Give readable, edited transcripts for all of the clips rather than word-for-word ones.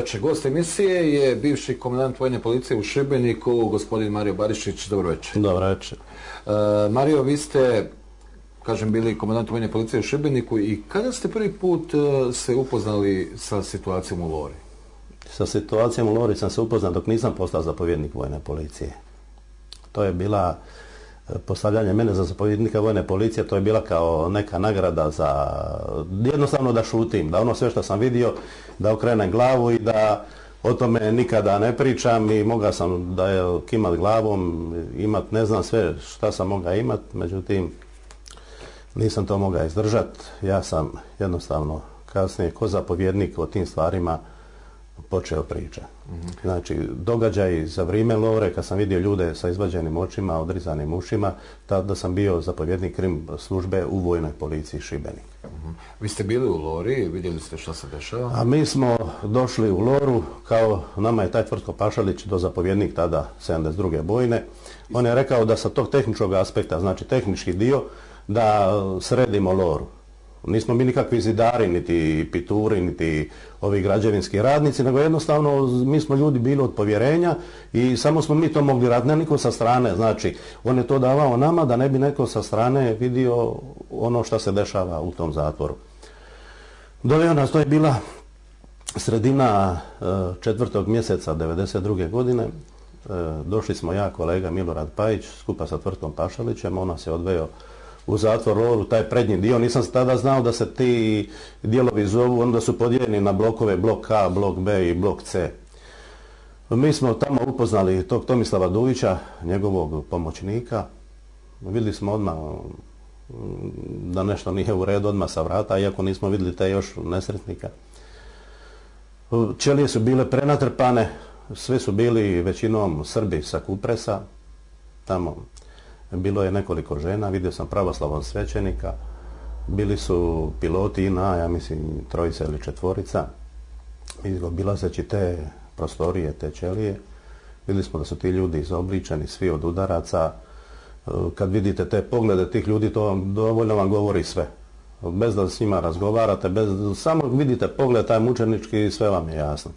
večer. Gost emisije je bivši komandant vojne policije u Šibeniku, gospodin Mario Barišić. Dobro večer. Dobro večer. Mario, vi ste, kažem, bili komandant vojne policije u Šibeniku i kada ste prvi put se upoznali sa situacijom u Lori? Sa situacijom u Lori sam se upoznao dok nisam postao zapovjednik vojne policije. To je bila postavljanje mene za zapovjednika vojne policije, to je bila kao neka nagrada za jednostavno da šutim, da ono sve što sam vidio, da okrenem glavu i da o tome nikada ne pričam i mogao sam da je kimat glavom, imat ne znam sve šta sam mogao imat, međutim nisam to mogao izdržati. Ja sam jednostavno kasnije ko zapovjednik o tim stvarima počeo pričati. Znači, događaj za vrijeme Lore, kad sam vidio ljude sa izvađenim očima, odrizanim ušima, tada sam bio zapovjednik krim službe u vojnoj policiji Šibenik. Vi ste bili u Lori, vidjeli ste što se dešava? A mi smo došli u Loru, kao nama je taj Tvrtko Pašalić, do zapovjednik tada 72. bojne. On je rekao da sa tog tehničkog aspekta, znači tehnički dio, da sredimo Loru. Nismo mi nikakvi zidari, niti pituri, niti ovi građevinski radnici, nego jednostavno mi smo ljudi bili od povjerenja i samo smo mi to mogli raditi, ne niko sa strane. Znači, on je to davao nama da ne bi neko sa strane vidio ono što se dešava u tom zatvoru. Doveo nas, to je bila sredina 4. mjeseca 92. godine. Došli smo ja, kolega Milorad Pajić, skupa sa Tvrtkom Pašalićem, on nas je odveo u zatvor Loru, taj prednji dio. Nisam tada znao da se ti dijelovi zovu, onda su podijeljeni na blokove, blok A, blok B i blok C. Mi smo tamo upoznali tog Tomislava Dujića, njegovog pomoćnika. Vidjeli smo odmah da nešto nije u redu odmah sa vrata, iako nismo vidjeli te još nesretnika. Ćelije su bile prenatrpane, svi su bili većinom Srbi sa Kupresa, tamo. Bilo je nekoliko žena, vidio sam pravoslavnog svećenika, bili su piloti INA, ja mislim 3 ili 4. Obilazeći te prostorije, te ćelije, vidjeli smo da su ti ljudi izobličeni, svi od udaraca. Kad vidite te poglede tih ljudi, to vam dovoljno vam govori sve. Bez da s njima razgovarate, samo vidite pogled taj mučenički i sve vam je jasno.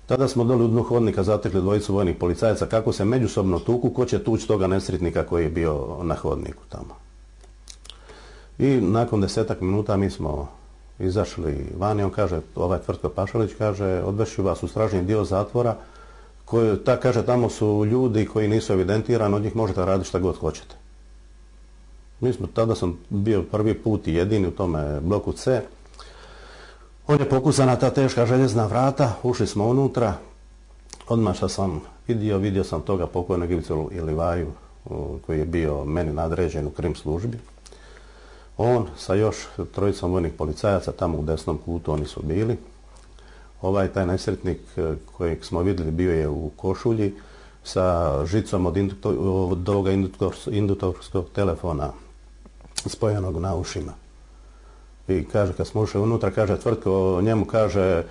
Tada smo doli u dnu hodnika zatekli 2 vojnih policajaca kako se međusobno tuku, ko će tući toga nesretnika koji je bio na hodniku tamo. I nakon 10 minuta mi smo izašli vani, on kaže, ovaj Tvrtko Pašalić kaže, odvešću vas u stražni dio zatvora, kaže, tamo su ljudi koji nisu evidentirani, od njih možete raditi šta god hoćete. Tada sam bio prvi put i jedini u tome bloku C. On je pokucana ta teška željezna vrata, ušli smo unutra, odmah što sam vidio sam toga pokojnog Ivicu Ilivaju koji je bio meni nadređen u krim službi. On sa još 3 vojnih policajaca tamo u desnom kutu oni su bili. Taj nesretnik kojeg smo vidjeli bio je u košulji sa žicom od ovoga induktorskog telefona spojenog na ušima. I kaže, kad smo ušli unutra, kaže Tvrtko, njemu kaže,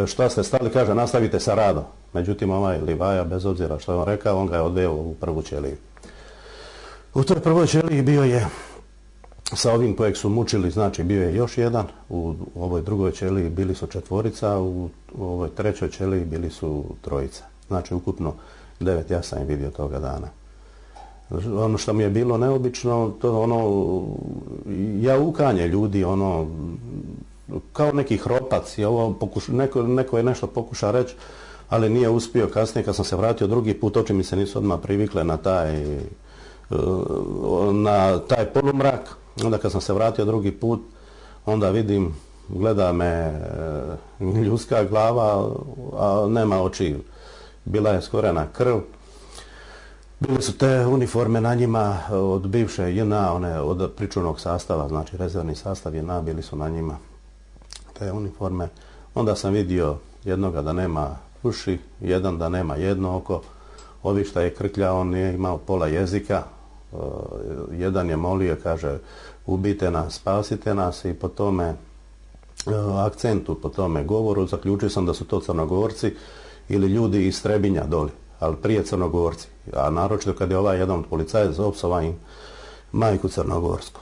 šta ste stali, kaže, nastavite sa radom. Međutim, ovaj Livaja, bez obzira što je on rekao, on ga je odveo u prvu ćeliju. U toj prvoj ćeliji bio je, sa ovim kojeg su mučili, znači bio je još jedan, u ovoj drugoj ćeliji bili su 4, u ovoj 3. ćeliji bili su 3. Znači, ukupno 9, ja sam ih vidio toga dana. Ono što mi je bilo neobično, to jaukanje ljudi, kao neki hropac. Neko je nešto pokušao reći, ali nije uspio. Kasnije kad sam se vratio drugi put, oči mi se nisu odmah privikle na taj polumrak. Onda kad sam se vratio drugi put, onda vidim, gleda me ljudska glava, a nema oči. Bila je skorena krv. Bile su te uniforme na njima od bivše JNA, od pričuvnog sastava, znači rezervni sastav JNA, bili su na njima te uniforme. Onda sam vidio jednoga da nema uši, jedan da nema jedno oko, ovi šta je krklja, on je imao pola jezika, jedan je molio, kaže, ubijte nas, spasite nas i po tome akcentu, po tome govoru, zaključio sam da su to Crnogorci ili ljudi iz Trebinja doli, ali prije Crnogorci. A naročito kad je ovaj jedan od policajaca opsovao im majku Crnogorsku.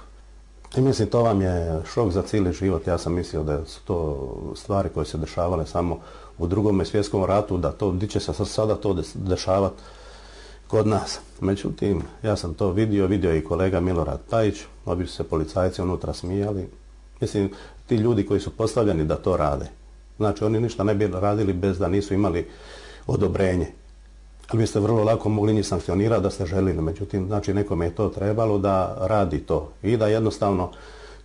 I mislim, to vam je šok za cijeli život. Ja sam mislio da su to stvari koje se dešavale samo u Drugom svjetskom ratu, da to, di će se sada to dešavati kod nas. Međutim, ja sam to vidio i kolega Milorad Pajić, obi su se policajci unutra smijali. Mislim, ti ljudi koji su postavljeni da to rade. Znači, oni ništa ne bi radili bez da nisu imali odobrenje. Ali biste vrlo lako mogli njih sankcionirati da ste želili. Međutim, znači, nekome je to trebalo da radi to. I da jednostavno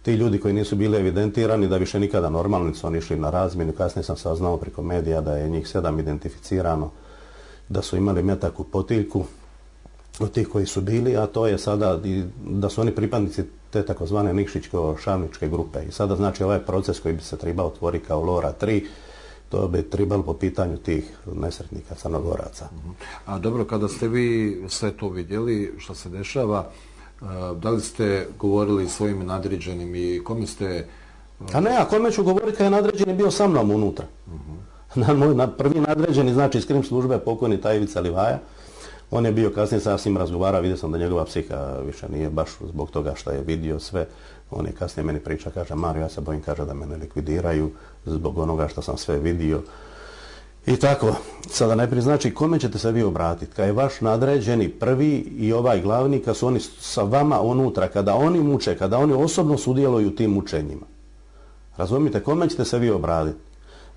ti ljudi koji nisu bili evidentirani, da više nikada normalno su oni išli na razmjenu. Kasnije sam saznao preko medija da je njih 7 identificirano, da su imali metak u potiljku od tih koji su bili, a to je sada da su oni pripadnici te takozvane Nikšićko-Šavničke grupe. I sada znači ovaj proces koji bi se trebao otvoriti kao Lora 3, to bi trebalo po pitanju tih nesretnika Crnogoraca. A dobro, kada ste vi sve to vidjeli, što se dešava, da li ste govorili svojim nadređenim i kome ste... A kome ću govoriti kad je nadređeni bio sa mnom unutra. Prvi nadređeni, znači iz krim službe, pokojni taj Ivica Livaja, on je bio kasnije, sam s njim razgovarao, vidio sam da njegova psiha više nije baš zbog toga što je vidio sve. On je kasnije meni priča, kaže, Mario, ja se bojim, kaže, da me ne likvidiraju zbog onoga što sam sve vidio. I tako, sada najprije znači, kome ćete se vi obratiti? Kad je vaš nadređeni prvi i ovaj glavni, kad su oni sa vama unutra, kada oni muče, kada oni osobno sudjeluju u tim mučenjima. Razumite, kome ćete se vi obratiti?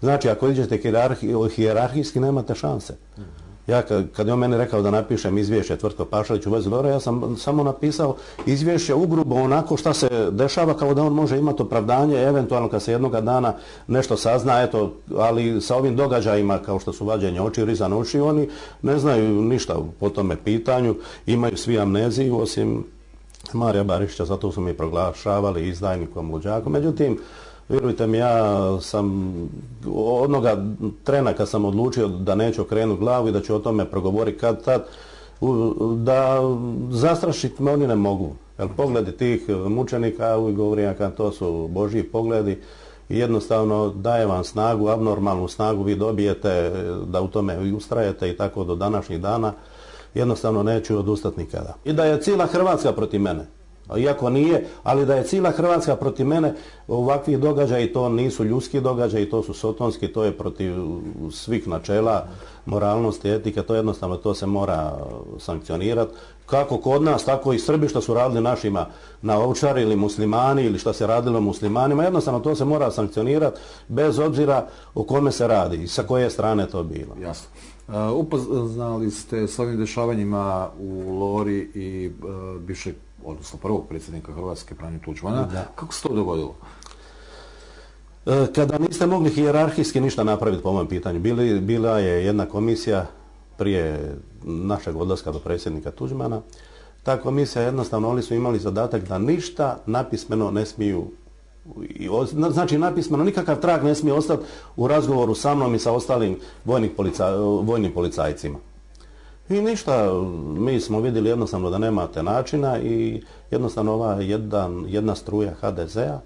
Znači, ako idete hijerarhijski, nemate šanse. Ja kad je on meni rekao da napišem izvješće Tvrtko Pašalić u vezi Lore, ja sam samo napisao izvješće ugrubo onako šta se dešava, kao da on može imati opravdanje, eventualno kad se jednoga dana nešto sazna, eto, ali sa ovim događajima kao što su vađenje očiju, rizane oči, oni ne znaju ništa po tome pitanju, imaju svi amneziju osim Marija Barišića, zato su mi proglašavali izdajnikom, luđakom. Međutim, vjerujte mi, ja sam onoga trena kad sam odlučio da neću okrenuti glavu i da ću o tome progovoriti kad tad, da zastrašiti me oni ne mogu. Jer pogledi tih mučenika, uvijek govorim kad to su Božji pogledi i jednostavno daje vam snagu, abnormalnu snagu, vi dobijete da u tome ustrajete i tako do današnjih dana. Jednostavno neću odustati nikada. I da je cijela Hrvatska protiv mene. Iako nije, ali da je cijela Hrvatska protiv mene, ovakvih događaja i to nisu ljudski događaji, to su sotonski, to je protiv svih načela, moralnosti, etike, to jednostavno to se mora sankcionirati. Kako kod nas, tako i Srbi što su radili našima na Ovčari ili muslimani ili što se radilo muslimanima, jednostavno to se mora sankcionirati bez obzira o kome se radi i sa koje strane to bilo. Jasno. Upoznali ste s ovim dešavanjima u Lori i bivšeg, odnosno prvog predsjednika Hrvatske, Franju Tuđmana. Da. Kako se to dogodilo? Kada niste mogli hijerarhijski ništa napraviti po ovom pitanju, bila je jedna komisija prije našeg odlaska do predsjednika Tuđmana. Ta komisija jednostavno, oni su imali zadatak da ništa napismeno ne smiju, znači napismeno nikakav trag ne smije ostati u razgovoru sa mnom i sa ostalim vojnim policajcima. I ništa, mi smo vidjeli jednostavno da nemate načina i jednostavno ova jedna struja HDZ-a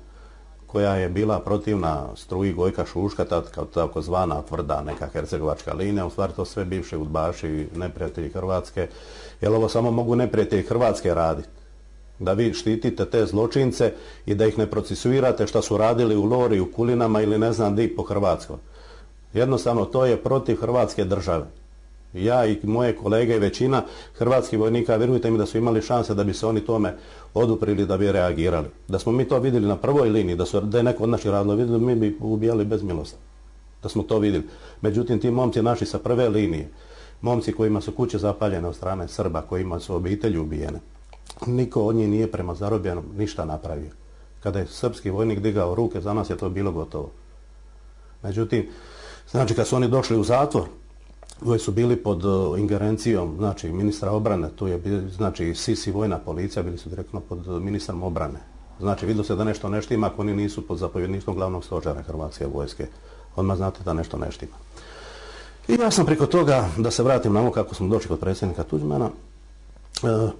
koja je bila protivna struji Gojka Šuška, tako zvana tvrda neka hercegovačka linija, u stvari to sve bivši udbaši, neprijatelji Hrvatske, jer ovo samo mogu neprijatelji Hrvatske raditi. Da vi štitite te zločince i da ih ne procesuirate što su radili u Lori, u Kulinama ili ne znam di po Hrvatskoj. Jednostavno to je protiv Hrvatske države. Ja i moje kolege i većina hrvatskih vojnika, vjerujte mi da su imali šanse da bi se oni tome oduprili, da bi reagirali. Da smo mi to vidjeli na prvoj liniji, da je neko od naših radilo vidjeli, mi bi ubijali bez milosti. Da smo to vidjeli. Međutim, ti momci naši sa prve linije, momci kojima su kuće zapaljene od strane Srba, kojima su obitelji ubijene, niko od njih nije prema zarobljenom ništa napravio. Kada je srpski vojnik digao ruke, za nas je to bilo gotovo. Međutim, znači kad su oni došli u zatvor, koji su bili pod ingerencijom, znači ministra obrane, tu je znači SIS i vojna policija, bili su direktno pod ministrom obrane. Znači vidio se da nešto ne štima ako oni nisu pod zapovjedništvom glavnog stožera Hrvatske vojske. Odmah znate da nešto ne štima. I ja sam preko toga, da se vratim na ovo kako smo došli kod predsjednika Tuđmana,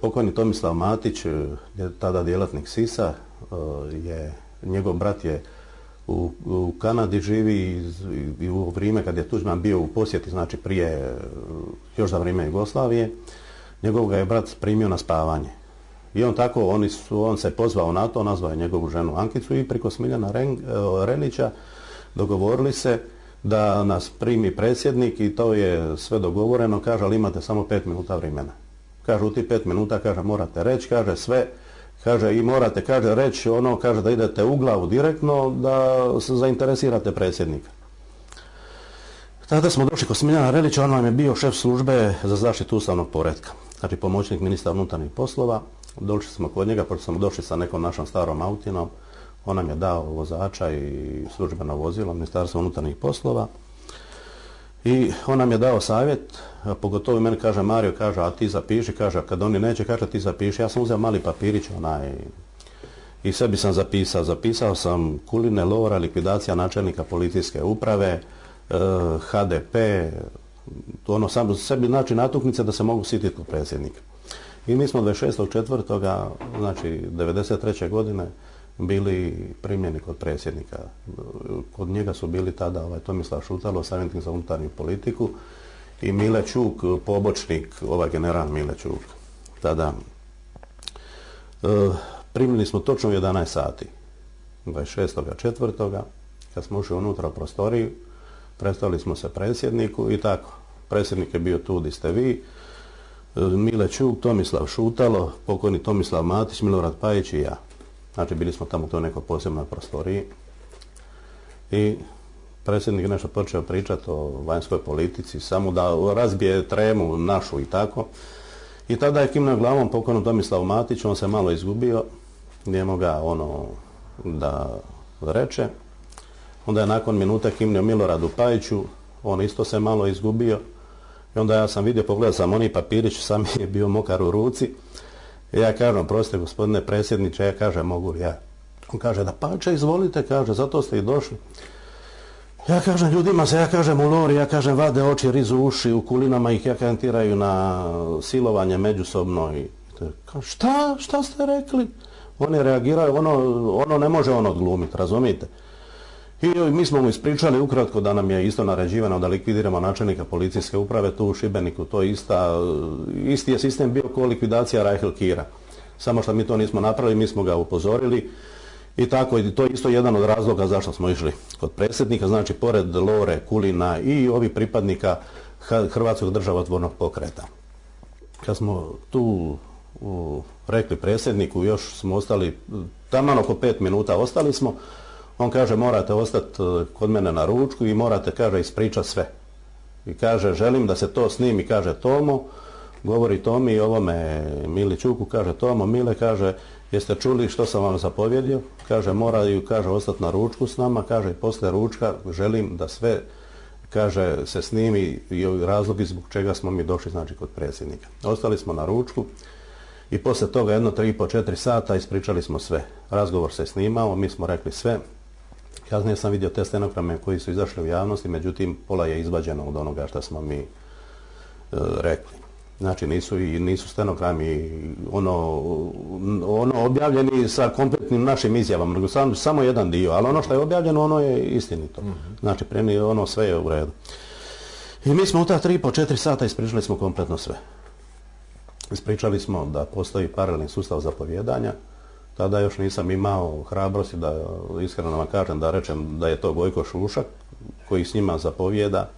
pokojni Tomislav Matić, je tada djelatnik SIS-a, njegov brat je u Kanadi živi i u vrijeme kad je Tuđman bio u posjeti, znači prije, još za vrijeme Jugoslavije, njegov ga je brat primio na spavanje. I on tako, on se pozvao na to, nazvao je njegovu ženu Ankicu i preko Smiljana Relića dogovorili se da nas primi predsjednik i to je sve dogovoreno, kaže, ali imate samo 5 minuta vremena. Kaže, u tih 5 minuta, kaže, morate reći, kaže, sve, kaže, i morate, kaže, reći ono, kaže, da idete u glavu direktno, da se zainteresirate predsjednika. Tada smo došli kod Smiljana Relića, on nam je bio šef službe za zaštitu ustavnog poretka, znači pomoćnik ministra unutarnjih poslova. Došli smo kod njega, pošto smo došli sa nekom našom starom autinom, on nam je dao vozača i službeno vozilo Ministarstva unutarnjih poslova i on nam je dao savjet, pogotovo meni kaže, Mario, kaže, a ti zapiši, kaže, kad oni neće, kaže, ti zapiši. Ja sam uzeo mali papirić i sebi sam zapisao sam Kuline Lora, likvidacija načelnika policijske uprave, HDP, ono sam sebi znači natuknice da se mogu sititi kod predsjednika. I mi smo 26.4. znači 93. godine bili primljeni kod predsjednika. Kod njega su bili tada Tomislav Šutalo, savjetnik za unutarnju politiku, i Mile Čuk, pobočnik, general Mile Čuk. Tada primljeni smo točno u 11 sati, 26.4. kad smo ušli unutra u prostoriju, predstavili smo se predsjedniku i tako. Predsjednik je bio tu gdje ste vi, Mile Čuk, Tomislav Šutalo, pokojni Tomislav Matić, Milorad Pajić i ja. Znači, bili smo tamo u toj nekoj posebnoj prostoriji i predsjednik nešto počeo pričati o vanjskoj politici, samo da razbije tremu našu i tako. I tada je kimnuo glavom pokojnom Tomislavu Matiću, on se malo izgubio, nije mogao da reče. Onda je nakon minute kimnuo Miloradu Pajiću, on isto se malo izgubio. I onda ja sam vidio, pogledao sam oni papirić, sam je bio mokar u ruci. I ja kažem, prostite gospodine predsjedniče, ja kažem, mogu li ja? On kaže, da pače, izvolite, kaže, zato ste i došli. Ja kažem, ljudima se, ja kažem, u Lori, ja kažem, vade oči, rizu uši, u kulinama ih ja kantiraju na silovanje međusobno. I kaže, šta ste rekli? Oni reagiraju, ono ne može on odglumiti, razumijete? I mi smo mu ispričali ukratko da nam je isto naređivano da likvidiramo načelnika policijske uprave tu u Šibeniku. To je isti je sistem bio kao likvidacija Rahel Kira. Samo što mi to nismo napravili, mi smo ga upozorili. I tako, i to je isto jedan od razloga zašto smo išli kod predsjednika. Znači, pored Lore, Kulina i ovih pripadnika Hrvatskog državotvornog pokreta. Kad smo tu rekli predsjedniku, još smo ostali, taman oko 5 minuta ostali smo. On kaže, morate ostati kod mene na ručku i morate, kaže, ispričati sve. I kaže, želim da se to snimi, kaže Tomo, govori Tomi i ovome Mili Čuku, kaže, Tomo, Mile, kaže, jeste čuli što sam vam zapovjedio? Kaže, moraju, kaže, ostati na ručku s nama, kaže, i poslije ručka želim da sve, kaže, se snimi i razlogi zbog čega smo mi došli, znači, kod predsjednika. Ostali smo na ručku i poslije toga 3,5-4 sata ispričali smo sve. Razgovor se snimao, mi smo rekli sve. Kasnije sam vidio te stenograme koji su izašli u javnosti, međutim, pola je izvađeno od onoga što smo mi rekli. Znači, nisu stenogrami objavljeni sa kompletnim našim izjavama, nego samo jedan dio, ali ono što je objavljeno, ono je istinito. Znači, sve je u redu. I mi smo u ta 3,5-4 sata ispričali smo kompletno sve. Ispričali smo da postoji paralelni sustav zapovjedanja. Tada još nisam imao hrabrosti da, iskreno vam kažem, da rečem da je to Gojko Šušak koji s njima zapovjeda.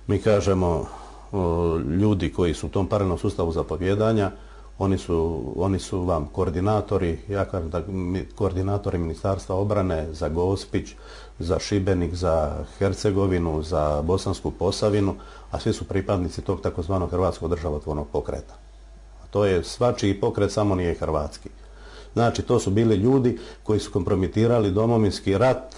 Mi kažemo, ljudi koji su u tom paralelnom sustavu zapovjedanja, oni su vam koordinatori, ja kažem da koordinatori Ministarstva obrane za Gospić, za Šibenik, za Hercegovinu, za Bosansku Posavinu, a svi su pripadnici tog takozvanog Hrvatskog državotvornog pokreta. A to je svačiji pokret, samo nije hrvatski. Znači, to su bili ljudi koji su kompromitirali Domovinski rat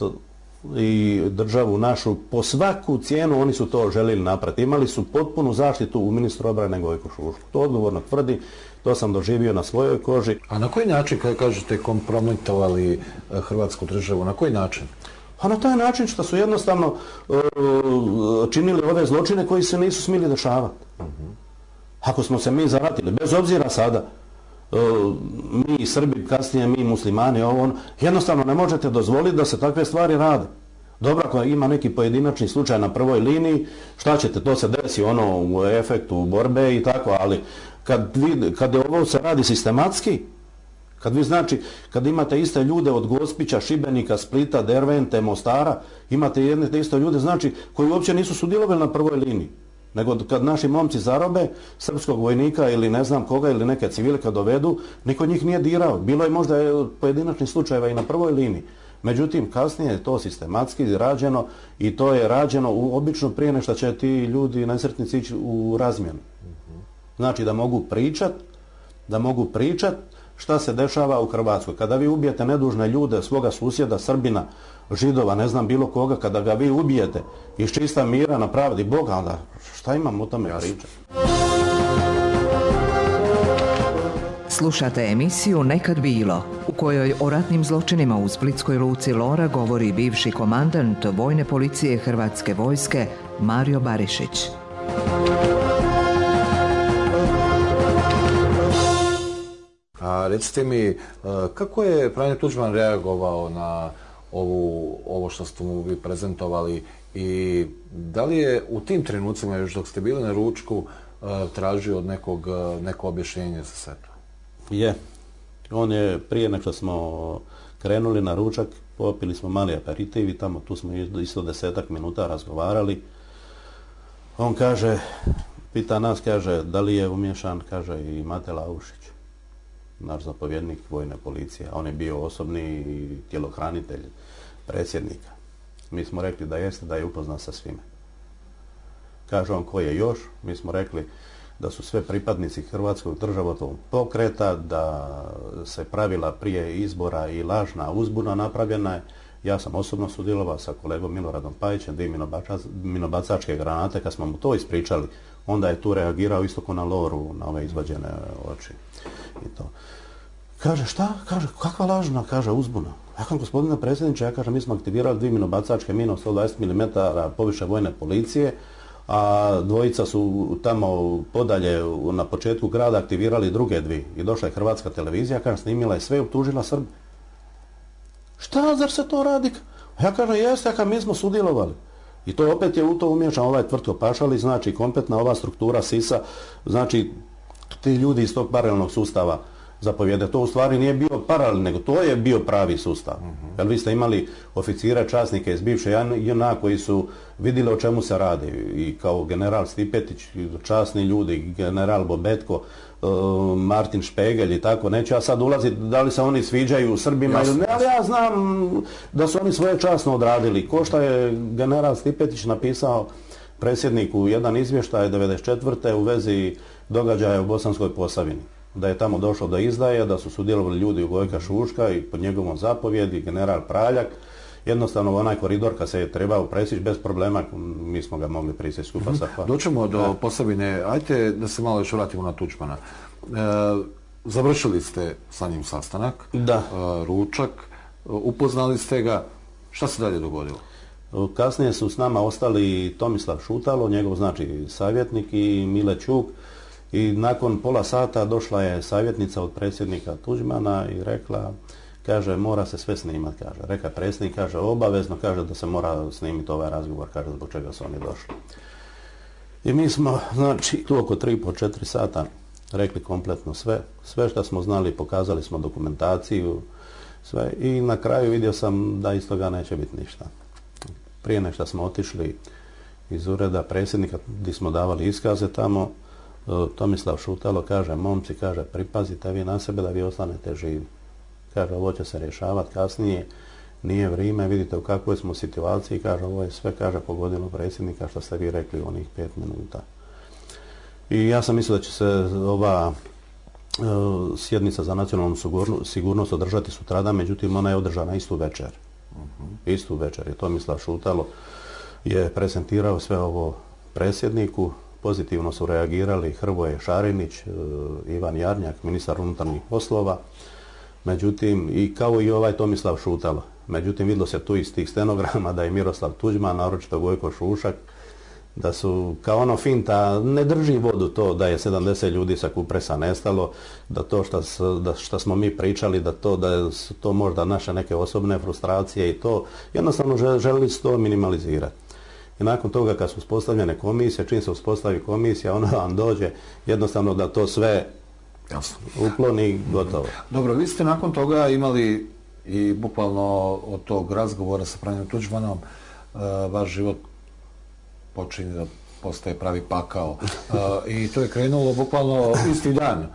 i državu našu. Po svaku cijenu oni su to željeli napraviti. Imali su potpunu zaštitu u ministru obrane Gojku Šušku. To odgovorno tvrdi, to sam doživio na svojoj koži. A na koji način, kada kažete, kompromitovali Hrvatsku državu, na koji način? A na taj način što su jednostavno činili ove zločine koji se nisu smjeli dešavati. Ako smo se mi zaratili, bez obzira sada, mi Srbi, kasnije mi muslimani, jednostavno ne možete dozvoliti da se takve stvari rade. Dobro, ako ima neki pojedinačni slučaj na prvoj liniji, šta ćete, to se desi u efektu borbe i tako, ali kad ovo se radi sistematski, Kad vi znači, kad imate iste ljude od Gospića, Šibenika, Splita, Dervente, Mostara, imate jedne te iste ljude, znači, koji uopće nisu sudjelovali na prvoj liniji. Nego kad naši momci zarobe srpskog vojnika ili ne znam koga ili neke civile kad dovedu, niko njih nije dirao. Bilo je možda pojedinačnih slučajeva i na prvoj liniji. Međutim, kasnije je to sistematski rađeno i to je rađeno obično prije nego što će ti ljudi nesretnici ići u razmjenu. Znači da mogu pričat šta se dešava u Hrvatskoj. Kada vi ubijete nedužne ljude, svoga susjeda, Srbina, Židova, ne znam bilo koga, kada ga vi ubijete iz čista mira na pravdi Boga, onda šta imam o tome pričati? Slušate emisiju Nekad bilo, u kojoj o ratnim zločinima u splitskoj luci Lora govori bivši komandant Vojne policije Hrvatske vojske Mario Barišić. A recite mi, kako je Franjo Tuđman reagovao na ovo što ste mu vi prezentovali i da li je u tim trenucima, još dok ste bili na ručku, tražio od neko objašnjenje za sve to? Je. On je, prije nego što smo krenuli na ručak, popili smo mali aperitiv i tamo tu smo isto 10-ak minuta razgovarali. On kaže, pita nas, kaže, da li je umješan, kaže, i Mate Laušić, naš zapovjednik Vojne policije, a on je bio osobni tjelohranitelj predsjednika. Mi smo rekli da jeste, da je upoznan sa svime. Kaže on, ko je još? Mi smo rekli da su sve pripadnici Hrvatskog državotvornog pokreta, da se pravila prije izbora i lažna uzbuna napravljena je. Ja sam osobno sudjelovao sa kolegom Miloradom Pajićem, da i minobacačke granate, kad smo mu to ispričali, onda je tu reagirao isto ko na Loru, na ove izvađene oči. I to. Kaže, šta? Kaže, kakva lažna? Kaže, uzbuna. Ja kažem, gospodine predsjedniče, ja kažem, mi smo aktivirali 2 minobacačke mine od 120 mm poviše Vojne policije, a dvojica su tamo podalje na početku grada aktivirali druge 2. I došla je Hrvatska televizija, kažem, snimila je sve i optužila Srbe. Šta, zar se to radi? Ja kažem, jeste, ja kažem, mi smo sudjelovali. I to opet je u to umješan ovaj Tvrtko Pašalić, znači kompletna ova struktura SIS-a, znači ti ljudi iz tog paralelnog sustava zapovjede. To u stvari nije bio paralelni, nego to je bio pravi sustav. Jer vi ste imali oficire, časnike iz bivše JNA koji su vidjeli o čemu se radi. I kao general Stipetić, časni ljudi, general Bobetko, Martin Špegelj i tako. Neću ja sad ulaziti da li se oni sviđaju Srbima ili ne, ali ja znam da su oni svoje časno odradili. Ko što je general Stipetić napisao predsjedniku jedan izvještaj 1994. u vezi događaja u Bosanskoj Posavini. Da je tamo došlo do izdaje, da su sudjelovali ljudi u Gojka Šuška i pod njegovom zapovjedi, general Praljak. Jednostavno onaj koridor kad se je trebao presjeći bez problema, mi smo ga mogli presjeći skupa sa... Doćemo do Posavine. Ajde da se malo još vratimo na Tuđmana. Završili ste sa njim sastanak, ručak, upoznali ste ga. Šta se dalje dogodilo? Kasnije su s nama ostali Tomislav Šutalo, njegov znači savjetnik, i Mile Ćuk. I nakon pola sata došla je savjetnica od predsjednika Tuđmana i rekla, kaže, mora se sve snimati, kaže. Reka predsjednik, kaže, obavezno, kaže, da se mora snimiti ovaj razgovor, kaže, zbog čega su oni došli. I mi smo, znači, tu oko 3,5-4 sata rekli kompletno sve što smo znali, pokazali smo dokumentaciju, sve, i na kraju vidio sam da iz toga neće biti ništa. Prije nego što smo otišli iz ureda predsjednika, gdje smo davali iskaze tamo, Tomislav Šutalo kaže, momci, kaže, pripazite vi na sebe da vi ostanete živi. Kaže, ovo će se rješavati kasnije, nije vrijeme, vidite u kakvoj smo situaciji, kaže, ovo je sve, kaže, pogodilo predsjednika što ste vi rekli u onih 5 minuta. I ja sam mislio da će se ova sjednica za nacionalnu sigurnost održati sutradan, međutim ona je održana istu večer. Istu večer je Tomislav Šutalo je prezentirao sve ovo predsjedniku. Pozitivno su reagirali Hrvoje Šarinić, Ivan Jarnjak, ministar unutarnjih poslova, međutim, i kao i ovaj Tomislav Šutalo. Međutim, vidjelo se tu iz tih stenograma da je Miroslav Tuđman, naročito Gojko Šušak, da su kao ono finta, ne drži vodu to da je 70 ljudi sa Kupresa nestalo, da to što smo mi pričali, da su to možda naše neke osobne frustracije i to, jednostavno želili su to minimalizirati. I nakon toga kad su uspostavljene komisije, čim se uspostavi komisija, ona vam dođe jednostavno da to sve Jasno. Uklon i gotovo. Dobro, vi ste nakon toga imali i bukvalno od tog razgovora sa Franjom Tuđmanom vaš život počinje da postaje pravi pakao. I to je krenulo bukvalno isti dan.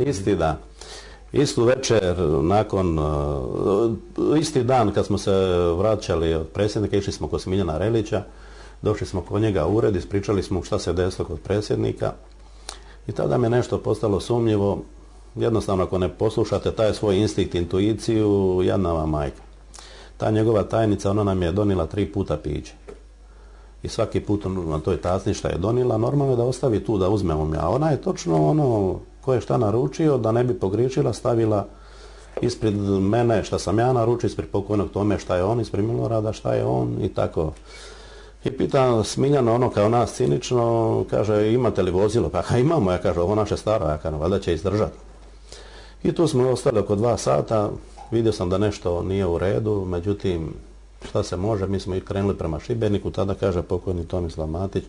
Isti dan. Istu večer, isti dan kad smo se vraćali od predsjednika, išli smo kod Smiljana Relića, došli smo kod njega u ured, ispričali smo šta se desilo kod predsjednika i tada mi je nešto postalo sumnjivo. Jednostavno, ako ne poslušate taj svoj instinkt, intuiciju, jadna vam majka. Ta njegova tajnica, ona nam je donila 3 puta piće. I svaki put na toj tasni šta je donila, normalno je da ostavi tu da uzmemo mi. A ona je točno ono ko je šta naručio, da ne bi pogriješila, stavila ispred mene šta sam ja naručio, ispred pokojnog Tome šta je on, ispred Milorada šta je on i tako. I pitam Smiljana ono kao nas cinično, kaže imate li vozilo? Pa imamo, ja kaže ovo naše staro, ja kaže valjda će izdržati. I tu smo ostali oko 2 sata, vidio sam da nešto nije u redu, međutim šta se može, mi smo i krenuli prema Šibeniku, tada kaže pokojni Tomislav Matić,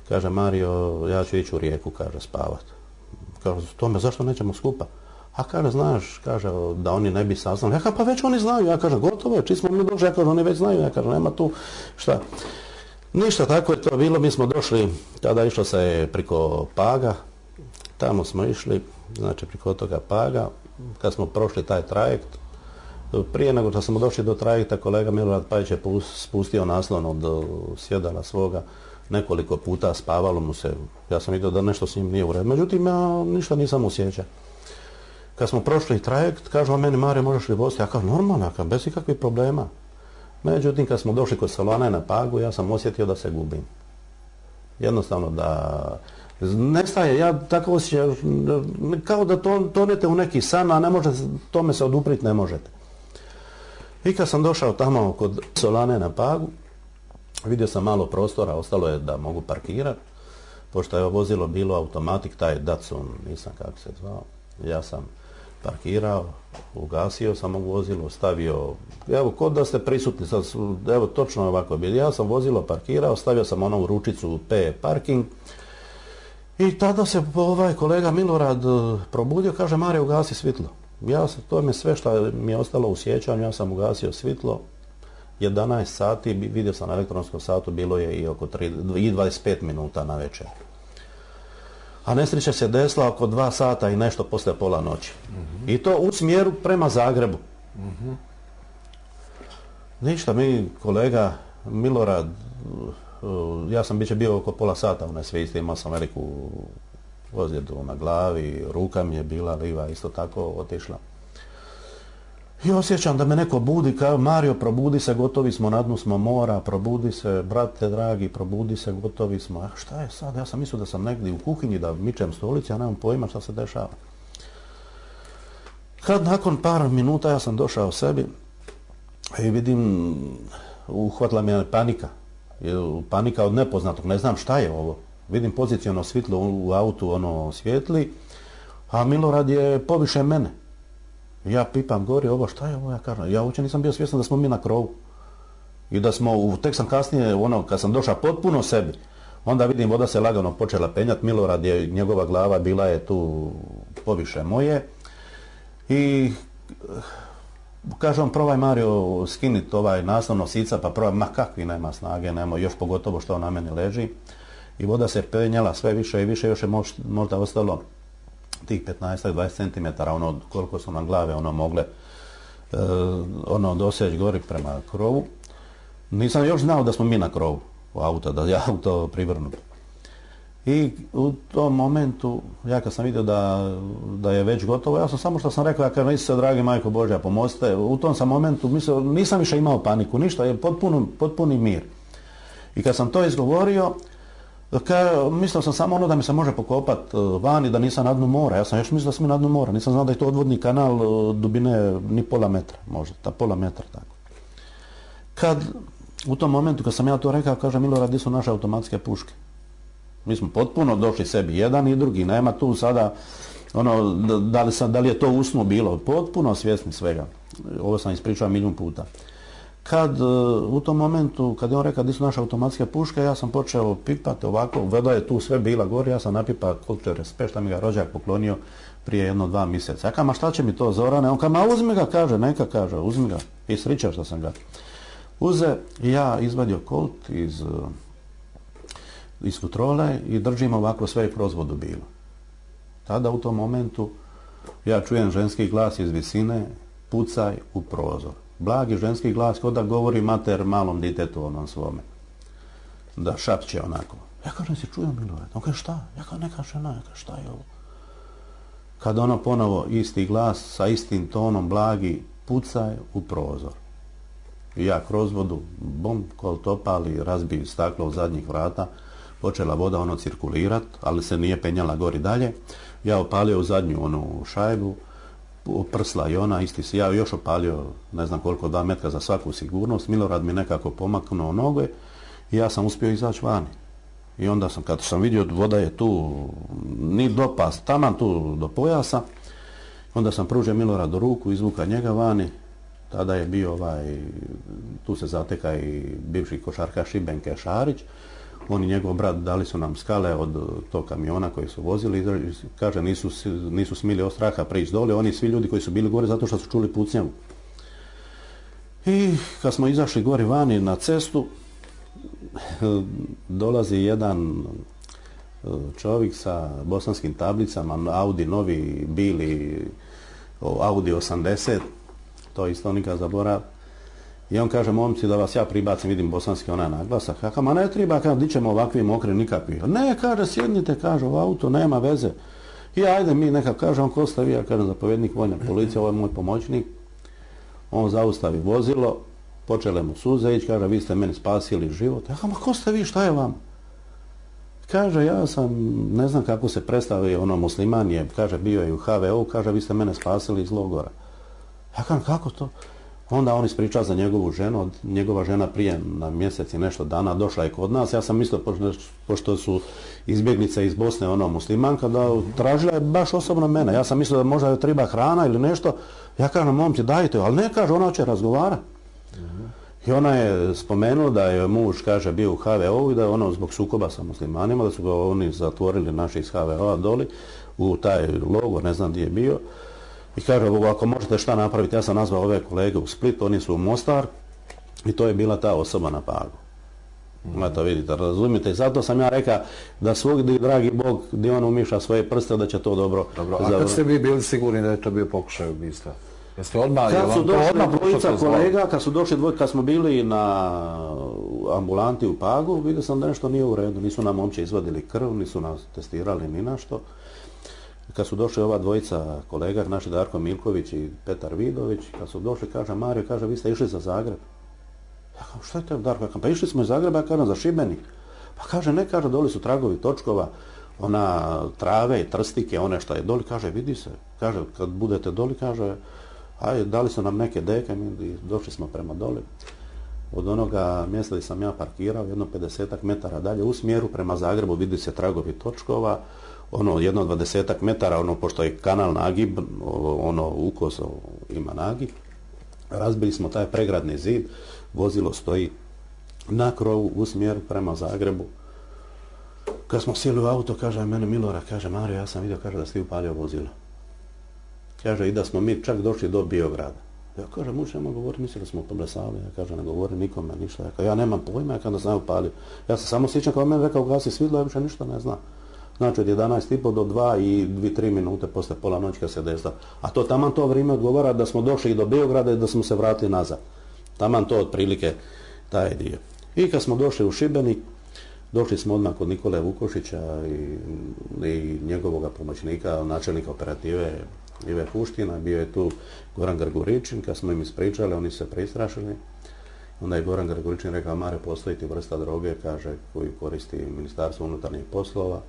kaže Mario, ja ću ići u Rijeku, kaže spavat. Kaže, Tome, zašto nećemo skupa? A kaže, znaš, kaže, da oni ne bi saznali. Ja kaže, pa već oni znaju, ja kaže, gotovo je, či smo mi došli, ja kaže, oni već znaju, ja kaže, nema tu šta. Ništa, tako je to bilo, mi smo došli, tada išlo se priko Paga, tamo smo išli, znači priko toga Paga, kad smo prošli taj trajekt, prije nego što smo došli do trajekta, kolega Milorad Pajić je spustio naslon od sjedala svoga, nekoliko puta spavalo mu se, ja sam vidio da nešto s njim nije u redu, međutim ja ništa nisam osjećao. Kad smo prošli trajekt, kaže on meni, Mario, možeš li voziti? Ja kažem, normalno, bez ikakvih problema. Međutim, kad smo došli kod Solane na Pagu, ja sam osjetio da se gubim. Jednostavno da nestaje, ja tako osjećam, kao da tonete u neki san, a ne može, tome se odupriti ne možete. I kad sam došao tamo kod Solane na Pagu, vidio sam malo prostora, ostalo je da mogu parkirati, pošto je vozilo bilo automatik, taj Datsun, nisam kako se zvao, ja sam parkirao, ugasio sam vozilo, stavio, evo, kod da ste prisutni, sad, evo, točno ovako bilo, ja sam vozilo parkirao, stavio sam onu ručicu P parking i tada se kolega Milorad probudio, kaže, Mario, ugasi svitlo. To je sve što mi je ostalo u sjećanju, ja sam ugasio svitlo, 11 sati, vidio sam na elektronskom satu, bilo je i oko 25 minuta na večer. A nesreća se desila oko 2 sata i nešto poslije pola noći. I to u smjeru prema Zagrebu. Ništa, mi kolega Milorad, ja sam bio oko pola sata u nesvijesti, imao sam veliku ozljedu na glavi, ruka mi je bila liva, isto tako otišla. I osjećam da me neko budi, kao Mario, probudi se, gotovi smo, na dnu smo mora, probudi se, brate dragi, probudi se, gotovi smo. A šta je sad? Ja sam mislio da sam negdje u kuhinji, da mičem stolici, ja nemam pojma šta se dešava. Kad nakon par minuta ja sam došao sebi i vidim, uhvatila me panika. Panika od nepoznatog, ne znam šta je ovo. Vidim poziciono svjetlo u autu, ono svijetli, a Milorad je poviše mene. Ja pipam gori, ovo šta je ovo, ja kažem, ja uopće nisam bio svjestan da smo mi na krovu. I da smo, tek sam kasnije, kad sam došao potpuno sebi, onda vidim voda se lagano počela penjati, Milorad je, njegova glava bila je tu poviše moje. I kaže on, probaj Mario skinit naslov nosica, pa probaj, ma kakvi nema snage, nema, još pogotovo što on na meni leži. I voda se penjala sve više i više, još je možda ostalo tih 15-20 cm, koliko su nam glave mogle doseći gori prema krovu. Nisam još znao da smo mi na krovu u auto, da je auto privrnut. I u tom momentu, ja kad sam vidio da je već gotovo, ja sam samo što sam rekao, ja kažem, Isuse, dragi Majko Božja, pomozite. U tom sam momentu mislio, nisam više imao paniku, ništa, je potpuni mir. I kad sam to izgovorio, mislio sam samo da mi se može pokopat vani, da nisam na dnu mora. Ja sam još mislio da sam na dnu mora. Nisam znao da je to odvodni kanal dubine ni pola metra, možda, pola metra tako. Kad, u tom momentu kad sam ja to rekao, kaže Milorad, gdje su naše automatske puške? Mi smo potpuno došli sebi, jedan i drugi, nema tu sada, da li je to usno bilo, potpuno svjesni svega. Ovo sam ispričao 1.000.000 puta. Kad u tom momentu, kad je on rekao di su naše automatske puške, ja sam počeo pipati ovako, voda je tu sve bila gore, ja sam napipa koliki respekt, šta mi ga rođak poklonio prije 1-2 mjeseca. Ja kažem, ma šta će mi to Zorane? On kaže, ma uzmi ga, kaže, neka, kaže, uzmi ga. I srića što sam ga uze i ja izvadio kolt iz futrole i držim ovako sve kroz vodu bilo. Tada u tom momentu ja čujem ženski glas iz visine, pucaj u prozor. Blagi ženski glas kao da govori mater malom ditetu onom svome. Da šapće onako. Ja kažem, si čujem Milorad? On kaže, šta? Ja kažem, neka žena, ja kažem, šta je ovo? Kad ono ponovo isti glas sa istim tonom blagi, pucaj u prozor. I ja kroz vodu, bom, kolt opali, razbiju staklo od zadnjih vrata, počela voda ono cirkulirat, ali se nije penjala gori dalje. Ja opalio u zadnju onu šajbu, prsla i ona, isti ja još opalio, ne znam koliko, 2 metra za svaku sigurnost. Milorad mi nekako pomaknuo noge i ja sam uspio izaći vani. I onda sam, kad sam vidio voda je tu, ni do pas, taman tu do pojasa, onda sam pružio Miloradu ruku, izvuka njega vani. Tada je bio tu se zateka i bivši košarkaš Šibenke Šarić. On i njegov brat dali su nam skale od tog kamiona koji su vozili. Kaže, nisu smili od straha prići dole. Oni svi ljudi koji su bili gore zato što su čuli pucnjavu. I kad smo izašli gore vani na cestu, dolazi jedan čovjek sa bosanskim tablicama, Audi novi, bili Audi 80, to isto nikad zaborav. I on kaže, momci, da vas ja pribacim, vidim bosanski onaj naglasak. Ja kažem, ma ne treba, kaže, di ćemo ovakvi mokri nikakvi. Ne, kaže, sjednite, kaže, u auto, nema veze. I ajde mi neka, kaže, on ko ste vi, ja kažem, zapovjednik vojne policije, ovo je moj pomoćnik. On zaustavi vozilo, počele mu suze ići, kaže, vi ste meni spasili život. Ja kažem, ma ko ste vi, šta je vam? Kaže, ja sam, ne znam kako se predstavio, ono musliman je, kaže, bio je u HVO, kaže, vi ste mene spasili iz logora. Ja kažem, kako to? Onda on ispriča za njegovu ženu, njegova žena prije na mjesec i nešto dana došla je kod nas. Ja sam mislio, pošto su izbjeglice iz Bosne, ono muslimanka, da tražila je baš osobno mene. Ja sam mislio da možda joj treba hrana ili nešto. Ja kažem, momci, dajte, ali ne, kaže, ona će razgovarati. I ona je spomenula da je muž, kaže, bio u HVO i da je ono zbog sukoba sa muslimanima, da su ga oni zatvorili naši iz HVO-a doli u taj logor, ne znam gdje je bio. I kaže, ako možete šta napraviti, ja sam nazvao ove kolege u Split, oni su u Mostar i to je bila ta osoba na Pagu. Eto vidite, razumite, zato sam ja rekao da svugdje, dragi Bog, gdje on umiša svoje prste, da će to dobro. A kad ste vi bili sigurni da je to bio pokušaj ubistva? Jeste odmah, kad su došli dvojica kolega, kad smo bili na ambulanti u Pagu, vidio sam da nešto nije u redu, nisu nam uopće izvadili krv, nisu nas testirali ni našto. Kad su došli ova dvojica kolega, naši Darko Milković i Petar Vidović, kad su došli, kaže, Mario, kaže, vi ste išli za Zagreb. Ja kažem, šta je to, Darko? Ja kažem, pa išli smo iz Zagreba, ja kažem, za Šibenik. Pa kaže, ne, kaže, doli su tragovi točkova, ona trave i trstike, one što je doli, kaže, vidi se. Kaže, kad budete doli, kaže, ajde, dali su nam neke deke, mi došli smo prema doli. Od onoga mjesta gdje sam ja parkirao, jedno 50-ak metara dalje, u smjeru prema Zagrebu, vidi se tragovi točkova, ono jedno 20-ak metara, ono pošto je kanal nagib, ono ukos ima nagib, razbili smo taj pregradni zid, vozilo stoji na krovu u smjeru prema Zagrebu. Kad smo sjeli u auto, kaže mene Milorad, kaže, Mario, ja sam vidio, kaže, da si upalio vozilo. Kaže, i da smo mi čak došli do Biograda. Ja kaže, mučemo govoriti, mislili smo poblesali. Ja kaže, ne govori nikome ništa. Ja nemam pojma, ja kada sam upalio. Ja se samo sjećam kao meni rekao, gasi svjetlo, ja više ništa ne znam. Znači od 11:30 do 2 i 2-3 minute posle pola noći kad se desila. A to taman to vrijeme odgovara da smo došli do Beograda i da smo se vratili nazad. Taman to otprilike taj dio. I kad smo došli u Šibenik, došli smo odmah kod Nikole Vukošića i njegovog pomoćnika, načelnika operative Ive Puština, bio je tu Goran Grguričin. Kad smo im ispričali, oni se prestrašili. Onda je Goran Grguričin rekao, Mare, postoji ti vrsta droge, kaže, koju koristi Ministarstvo unutarnjih poslova.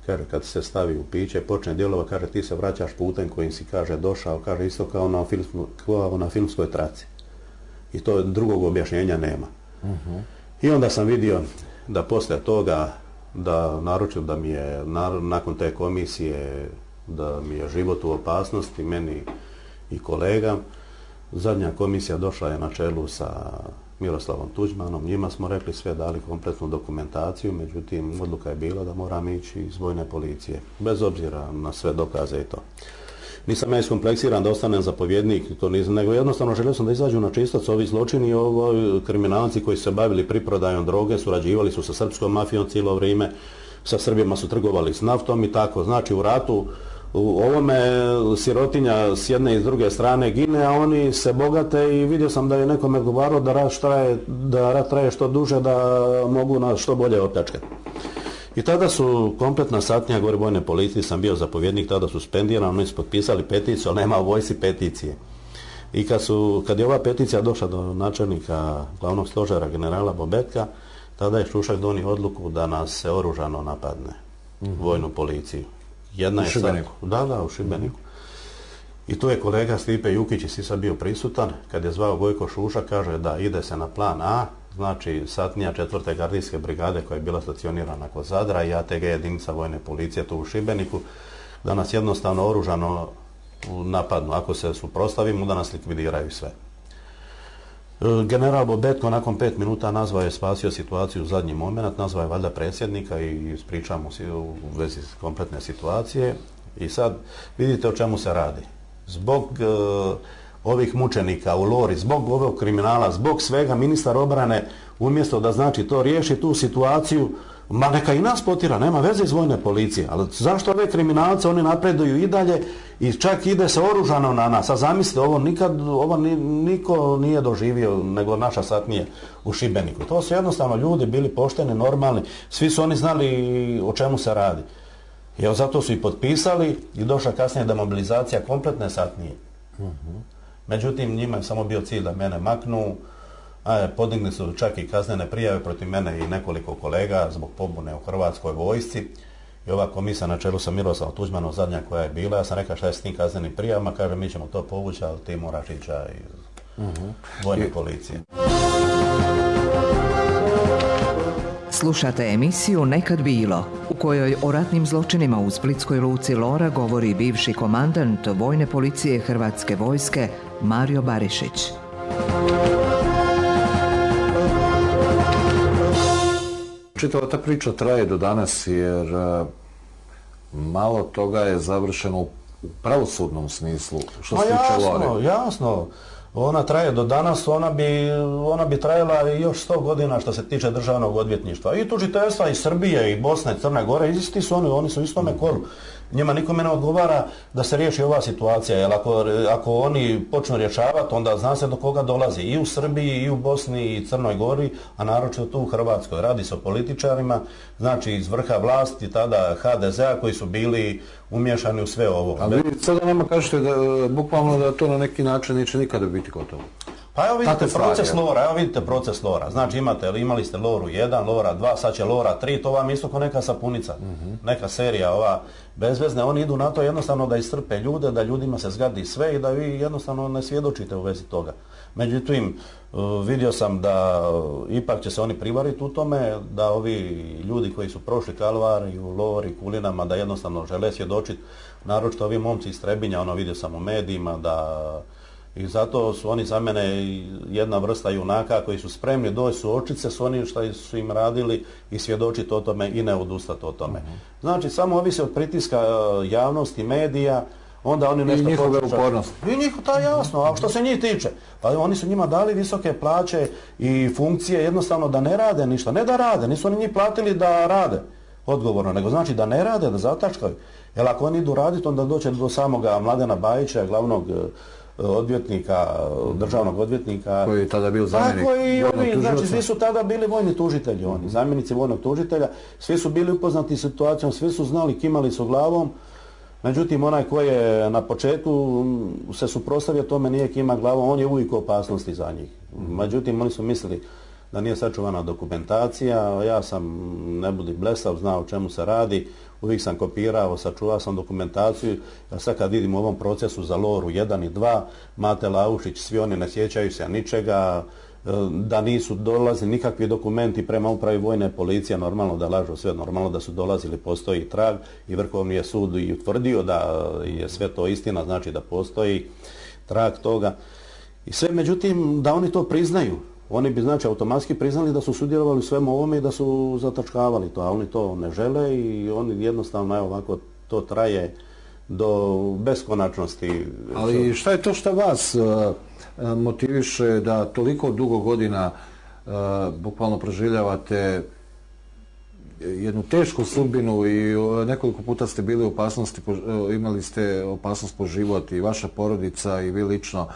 Kaže, kad se stavi u piće, počne djelova, kaže, ti se vraćaš putem kojim si, kaže, došao, kaže, isto kao na filmskoj traci. I to drugog objašnjenja nema. I onda sam vidio da poslije toga, da naručio da mi je, nakon te komisije, da mi je život u opasnosti, meni i kolegam, Zadnja komisija došla je na čelu sa Miroslavom Tuđmanom, njima smo rekli sve, dali kompletnu dokumentaciju, međutim odluka je bila da moram ići iz vojne policije, bez obzira na sve dokaze i to. Nisam ja iskompleksiran da ostanem zapovjednik, to nisam, nego jednostavno želio sam da izađu na čistac ovi zločini i kriminalci koji su se bavili priprodajom droge, surađivali su sa srpskom mafijom cijelo vrijeme, sa Srbima su trgovali s naftom i tako. Znači u ratu u ovome sirotinja s jedne i s druge strane gine, a oni se bogate i vidio sam da je nekome odgovarao da rat traje što duže, da mogu nas što bolje opljačkati. I tada su kompletna satnija gore vojne policije, sam bio zapovjednik, tada suspendiran, oni su potpisali peticiju, ali nema u vojsci peticije. I kad je ova peticija došla do načelnika glavnog stožera generala Bobetka, tada je Šušak donio odluku da nas se oružano napadne, vojnu policiju. U Šibeniku? Da, u Šibeniku. I tu je kolega Stipe Jukić i Sisa bio prisutan, kad je zvao Gojko Šušak, kaže da ide se na plan A, znači satnija 4. gardijske brigade koja je bila stacionirana kod Zadra i ATG jedinica vojne policije tu u Šibeniku, da nas jednostavno oružano napadnu. Ako se suprotstavimo, da nas likvidiraju sve. General Bobetko nakon 5 minuta nazvao je, spasio situaciju u zadnji moment, nazvao je valjda predsjednika i ispričao mu u vezi kompletne situacije. I sad vidite o čemu se radi. Zbog ovih mučenika u Lori, zbog ovog kriminala, zbog svega, ministar obrane umjesto da znači to riješi tu situaciju, ma neka i nas potira, nema veze iz vojne policije, ali zašto ove kriminalce oni napreduju i dalje i čak ide se oružano na nas, a zamislite, ovo niko nije doživio nego naša satnija u Šibeniku. To su jednostavno ljudi bili pošteni, normalni, svi su oni znali o čemu se radi. I evo zato su i potpisali i došla kasnije demobilizacija kompletne satnije. Međutim, njima je samo bio cilj da mene maknu, podigli su čak i kaznene prijave protiv mene i nekoliko kolega zbog pobune u Hrvatskoj vojsci. I ova komisija na čelu sa Miroslavom Tuđmanom, zadnja koja je bila, ja sam rekao šta je s tim kaznenim prijavama, kaže mi ćemo to povući, ali ti moraš ići iz vojne policije. Slušate emisiju Nekad bilo, u kojoj o ratnim zločinima u splitskoj luci Lora govori bivši komandant vojne policije Hrvatske vojske Mario Barišić. Čitava ta priča traje do danas jer malo toga je završeno u pravosudnom smislu, što se tiče Lore. Jasno. Ona traje do danas, ona bi trajala i još 100 godina što se tiče državnog odvjetništva. I tužiteljstva i Srbije i Bosne i Crne Gore, isti su oni su u istome kolu. Njima nikome ne odgovara da se riješi ova situacija, jer ako oni počnu rješavati, onda zna se do koga dolazi. I u Srbiji, i u Bosni, i Crnoj Gori, a naročito tu u Hrvatskoj. Radi se o političarima, znači iz vrha vlasti, tada HDZ-a, koji su bili umješani u sve ovo. Ali vi sada nama kažete da bukvalno da to na neki način neće nikada biti gotovo. Pa evo vidite proces Lora, znači imali ste Loru 1, Lora 2, sad će Lora 3, to vam isto kao neka sapunica, neka serija ova bezvezne, oni idu na to jednostavno da iscrpe ljude, da ljudima se zgadi sve i da vi jednostavno ne svjedočite u vezi toga. Međutim, vidio sam da ipak će se oni privariti u tome, da ovi ljudi koji su prošli kalvariju, Lori, Kulinama, da jednostavno žele svjedočiti, naročito ovi momci iz Trebinja, vidio sam u medijima i zato su oni za mene jedna vrsta junaka koji su spremni doći suočiti s onim što su im radili i svjedočiti o tome i ne odustati o tome. Znači, samo ovisi od pritiska javnosti, medija, onda oni nešto... I njihove upornosti. I jasno, a što se njih tiče? Pa oni su njima dali visoke plaće i funkcije jednostavno da ne rade ništa. Ne da rade, nisu oni njih platili da rade odgovorno, nego znači da ne rade, da zatačkaju. Jer ako oni idu raditi, onda doće do samoga Mladena Bajića, glavnog odvjetnika, državnog odvjetnika. Koji je tada bio zamjenik vojnog tužitelja. Znači, svi su tada bili vojni tužitelji, zamjenici vojnog tužitelja. Svi su bili upoznati situacijom, svi su znali, kimali su glavom. Međutim, onaj koji je na početku se suprotstavio tome, nije kima glavom, on je uvijek u opasnosti za njih. Međutim, oni su mislili da nije sačuvana dokumentacija, ja sam, ne budi blesav, znao o čemu se radi, uvijek sam kopirao, sačuvao sam dokumentaciju, a sad kad vidim u ovom procesu za Loru 1 i 2, Mate Laušić, svi oni ne sjećaju se ničega, da nisu dolazili nikakvi dokumenti prema upravi vojne policije, normalno da lažu sve, normalno da su dolazili, postoji trag i Vrhovni je sud i utvrdio da je sve to istina, znači da postoji trag toga. I sve, međutim, da oni to priznaju. Oni bi, znači, automatski priznali da su sudjelovali u svemu ovome i da su zatačkavali to, a oni to ne žele i oni jednostavno, evo ovako, to traje do beskonačnosti. Ali šta je to što vas motiviše da toliko dugo godina bukvalno proživljavate jednu tešku sudbinu i nekoliko puta ste bili u opasnosti, imali ste opasnost po život i vaša porodica i vi lično.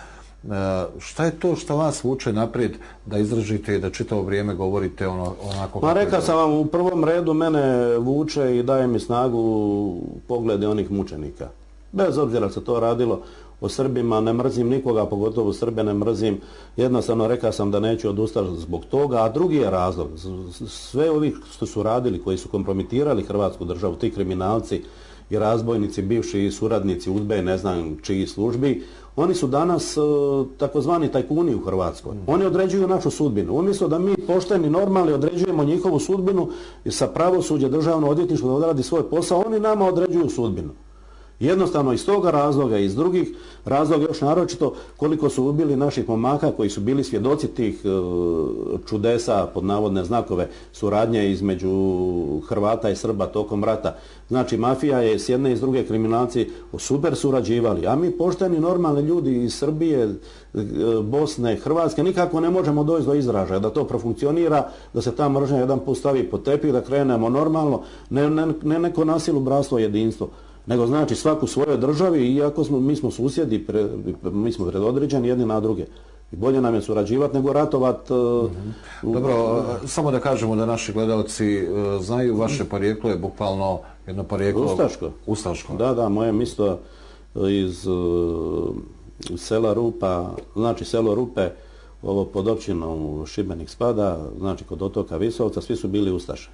Šta je to što vas vuče naprijed da izdržite i da čitavo vrijeme govorite onako? Pa rekao sam vam, u prvom redu mene vuče i daje mi snagu poglede onih mučenika. Bez obzira se to radilo o Srbima, ne mrzim nikoga, pogotovo Srbe ne mrzim. Jednostavno rekao sam da neću odustati zbog toga, a drugi je razlog. Sve ovi što su radili, koji su kompromitirali Hrvatsku državu, ti kriminalci i razbojnici, bivši suradnici UDBE, ne znam čiji službi, oni su danas takozvani tajkuni u Hrvatskoj. Oni određuju našu sudbinu. Umjesto da mi pošteni, normalni određujemo njihovu sudbinu i sa pravosuđe, državno odvjetništvo da odradi svoj posao, oni nama određuju sudbinu. Jednostavno iz toga razloga i iz drugih razloga još naročito koliko su ubili naših momaka koji su bili svjedoci tih čudesa, pod navodne znakove, suradnje između Hrvata i Srba tokom rata. Znači mafija je s jedne i s druge kriminalci super surađivali, a mi pošteni normalni ljudi iz Srbije, Bosne, Hrvatske nikako ne možemo doći do izražaja, da to profunkcionira, da se ta mržnja jedan put stavi pod tepih, da krenemo normalno, ne neko nasilu, bratstvo, jedinstvo. Nego znači svaku svojoj državi, iako mi smo susjedi, mi smo predodređeni jedni na druge. I bolje nam je surađivati nego ratovati. Dobro, samo da kažemo da naši gledalci znaju, vaše porijeklo je bukvalno jedno porijeklo... Ustaško. Da, moje mjesto iz sela Rupa, znači selo Rupe, ovo pod općinom Šibenik spada, znači kod otoka Visovca, svi su bili Ustaše.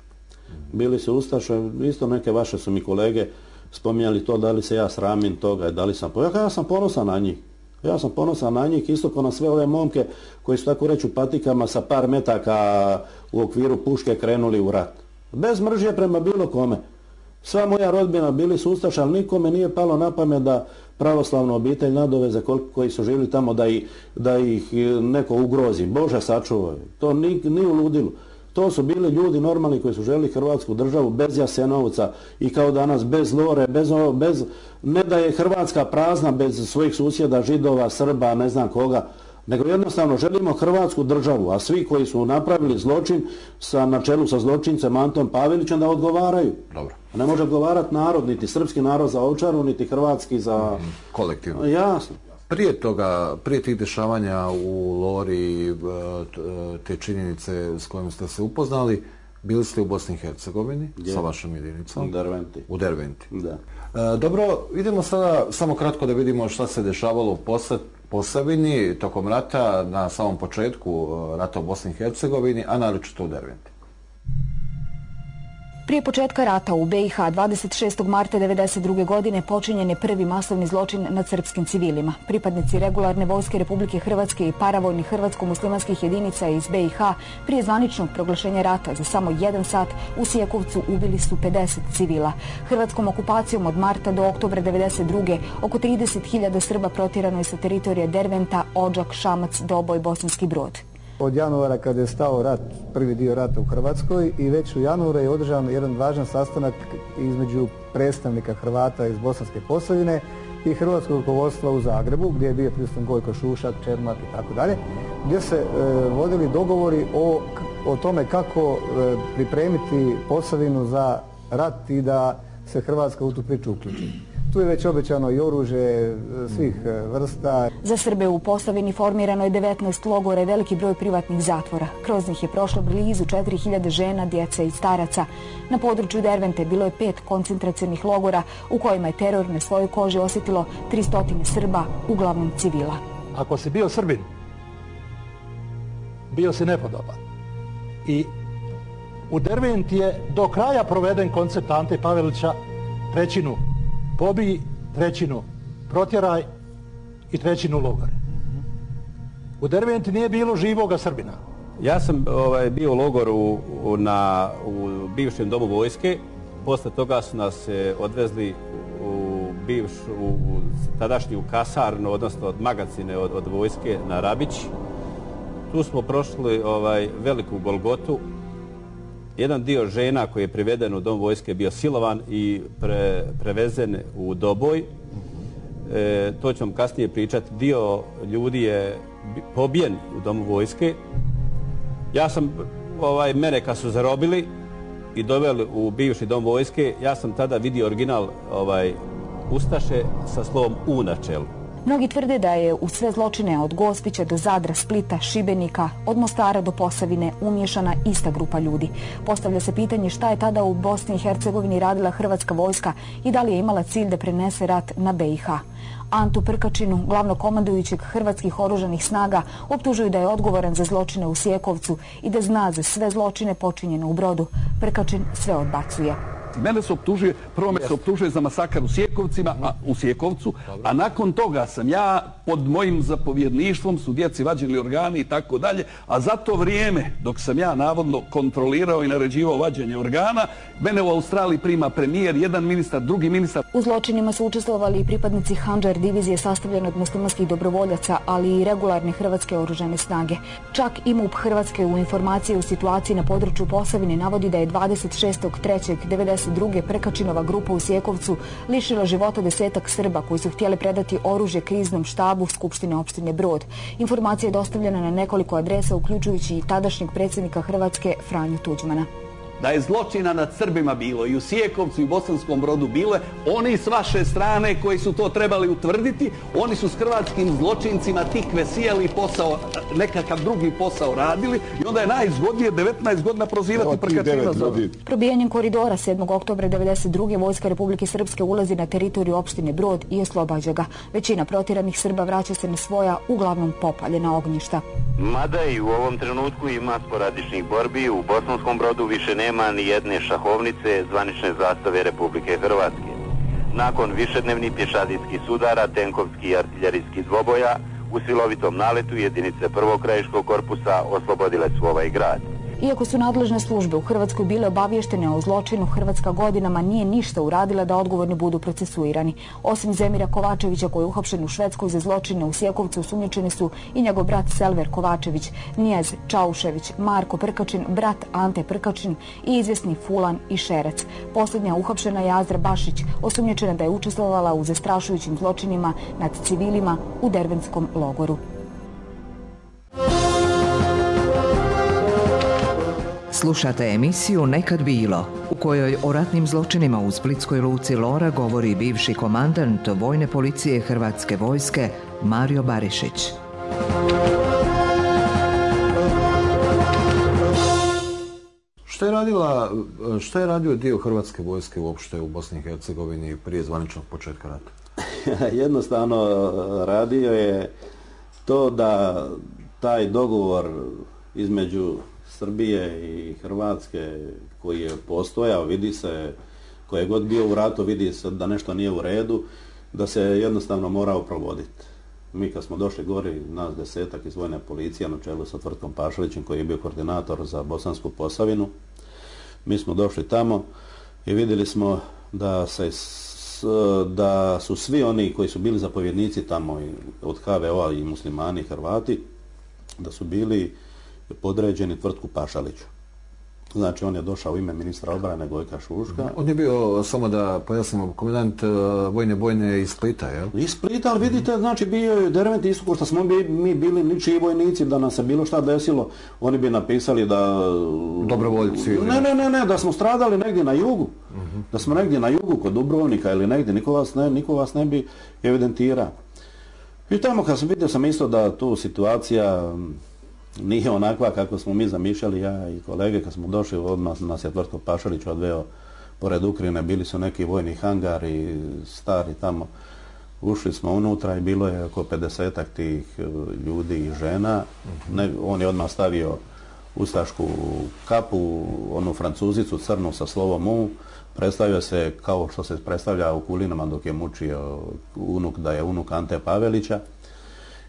Bili su Ustaše, isto neke vaše su mi kolege spominjali to da li se ja sramim toga, da li sam... Ja sam ponosan na njih. Ja sam ponosan na njih, isto kao na sve ove momke koji su tako reći u patikama sa par metaka u okviru puške krenuli u rat. Bez mržnje prema bilo kome. Sva moja rodbina bili su Ustaša, ali nikome nije palo na pamet da pravoslavnu obitelj nadoveze koji su živjeli tamo da ih neko ugrozi. Bože sačuvaj. To ni u ludilu. To su bili ljudi normalni koji su željeli Hrvatsku državu bez Jasenovca i kao danas bez Lore, bez ne da je Hrvatska prazna bez svojih susjeda, Židova, Srba, ne znam koga, nego jednostavno želimo Hrvatsku državu, a svi koji su napravili zločin na čelu sa zločincem Antom Pavelićem da odgovaraju. Dobro. Ne može odgovarati narod, niti srpski narod za Ovčaru, niti hrvatski za... Kolektivno. Jasno. Prije tih dešavanja u Lori, te činjenice s kojim ste se upoznali, bili ste u Bosni i Hercegovini sa vašom jedinicom? U Derventi. Da. Dobro, idemo sada samo kratko da vidimo šta se dešavalo u Posavini tokom rata, na samom početku rata u Bosni i Hercegovini, a naročito u Derventi. Prije početka rata u BiH 26. marta 1992. godine počinjen je prvi masovni zločin nad srpskim civilima. Pripadnici regularne vojske Republike Hrvatske i paravojnih hrvatsko-muslimanskih jedinica iz BiH prije zvaničnog proglašenja rata za samo 1 sat u Sijakovcu ubili su 50 civila. Hrvatskom okupacijom od marta do oktobra 1992. oko 30.000 Srba protjerano je sa teritorija Derventa, Odžak, Šamac, Doboj, Bosanski Brod. Od januara kada je stao rat, prvi dio rata u Hrvatskoj, i već u januaru je održan jedan važan sastanak između predstavnika Hrvata iz Bosanske Posavine i hrvatskog rukovodstva u Zagrebu, gdje je bio prisutan Gojko Šušak, Čermak i tako dalje, gdje se vodili dogovori o tome kako pripremiti Posavinu za rat i da se Hrvatska u tu priču uključi. Tu je već obećano i oružje svih vrsta. Za Srbe u Posavini formirano je 19 logora i veliki broj privatnih zatvora. Kroz njih je prošlo blizu 4000 žena, djece i staraca. Na području Dervente bilo je 5 koncentracionih logora u kojima je teror na svojoj koži osjetilo 300 Srba, uglavnom civila. Ako si bio Srbin, bio si nepodoban. I u Derventi je do kraja proveden koncept Ante Pavelića, 1/3 pobij, 1/3 protjeraj i 1/3 logore. U Derventi nije bilo živoga Srbina. Ja sam bio u logoru u bivšem domu vojske. Posle toga su nas odvezli u tadašnju kasarnu, odnosno od magacine od vojske na Rabić. Tu smo prošli veliku golgotu. Jedan dio žena koji je priveden u dom vojske bio silovan i prevezen u Doboj. To ću vam kasnije pričati. Dio ljudi je pobijen u domu vojske. Ja sam, mene kad su zarobili i doveli u bivši dom vojske, ja sam tada vidio original ustaše sa slovom U na čelu. Mnogi tvrde da je u sve zločine od Gospića do Zadra, Splita, Šibenika, od Mostara do Posavine umiješana ista grupa ljudi. Postavlja se pitanje šta je tada u Bosni i Hercegovini radila hrvatska vojska i da li je imala cilj da prenese rat na BiH. Antu Prkačinu, glavnokomandujućeg hrvatskih oružanih snaga, optužuju da je odgovoran za zločine u Sjekovcu i da zna za sve zločine počinjene u Brodu. Prkačin sve odbacuje. Mene se optužuje, prvo me se optužuje za masakar u Sjekovcu, a nakon toga sam ja pod mojim zapovjedništvom su djeci vađeni organi i tako dalje, a za to vrijeme dok sam ja navodno kontrolirao i naređivao vađenje organa, mene u Australiji prima premijer, jedan ministar, drugi ministar. U zločinima su učestvovali i pripadnici Handžar divizije sastavljene od muslimanskih dobrovoljaca, ali i regularne hrvatske oružane snage. Čak i MUP Hrvatske u informaciji o situaciji na području Posavine navodi da je 26.3.1992. Prkačinova grupa u Sjekovcu lišila života 10-ak Srba koji su htjeli predati oružje kriznom štabu Skupštine opštine Brod. Informacija je dostavljena na nekoliko adresa, uključujući i tadašnjeg predsjednika Hrvatske Franju Tuđmana. Da je zločina nad Srbima bilo i u Sjekovcu i u Bosanskom Brodu bilo, oni s vaše strane koji su to trebali utvrditi, oni su s hrvatskim zločincima tikve sijali posao, nekakav drugi posao radili i onda je najzgodnije 19 godina prozivati Prkačina za ovo. Probijanjem koridora 7. oktobra 1992. vojska Republike Srpske ulazi na teritoriju opštine Brod i oslobađa ga. Većina protjeranih Srba vraća se na svoja, uglavnom popaljena ognjišta. Mada i u ovom trenutku ima sporadičnih borbi, u Bosanskom Brodu više nema ni jedne šahovnice zvanične zastave Republike Hrvatske. Nakon višednevnih pješadijskih sudara, tenkovskih i artiljerijskih dvoboja, u silovitom naletu jedinice prvog krajiškog korpusa oslobodile su ovaj grad. Iako su nadležne službe u Hrvatskoj bile obavještene o zločinu, Hrvatska godinama nije ništa uradila da odgovorni budu procesuirani. Osim Zemira Kovačevića koji je uhapšen u Švedskoj za zločine u Sjekovcu, osumnjičeni su i njegov brat Selver Kovačević, Nijez Čaušević, Marko Prkačin, brat Ante Prkačin i izvjesni Fulan i Šerec. Posljednja uhapšena je Azra Bašić, osumnjičena da je učestvovala u zastrašujućim zločinima nad civilima u Dervenskom logoru. Slušate emisiju Nekad bilo, u kojoj o ratnim zločinima u splitskoj luci Lora govori bivši komandant Vojne policije Hrvatske vojske Mario Barišić. Šta je radio dio Hrvatske vojske uopšte u Bosni i Hercegovini prije zvaničnog početka rata? Jednostavno radio je to da taj dogovor između Srbije i Hrvatske koji je postojao, vidi se, ko je god bio u ratu, vidi se da nešto nije u redu, da se jednostavno morao provoditi. Mi kad smo došli gori, nas 10-ak iz Vojne policije na čelu sa Tvrtkom Pašalićem koji je bio koordinator za Bosansku Posavinu, mi smo došli tamo i vidjeli smo da su svi oni koji su bili zapovjednici tamo od HVO-a i muslimani i Hrvati, da su bili podređeni Tvrtku Pašaliću. Znači, on je došao u ime ministra obrane Gojka Šuška. On je bio, samo da pojasnimo, komandant vojne bojne iz Splita, jel? Iz Splita, ali vidite, znači bio je Dervent isto ko što smo mi bili ničiji vojnici, da nam se bilo šta desilo, oni bi napisali da... Dobrovoljci? Ne, da smo stradali negdje na jugu. Da smo negdje na jugu, kod Dubrovnika ili negdje, niko vas ne bi evidentirao. I tamo kad sam vidio sam isto da tu situacija nije onakva kako smo mi zamišljali, ja i kolege, kad smo došli, odmah nas je Tvrtko Pašalić odveo pored Ukrajine, bili su neki vojni hangari, stari tamo. Ušli smo unutra i bilo je oko 50-ak tih ljudi i žena. On je odmah stavio ustašku kapu, onu francuzicu crnu sa slovom U. Predstavio se kao što se predstavlja u Kulinama dok je mučio unuk, da je unuk Ante Pavelića.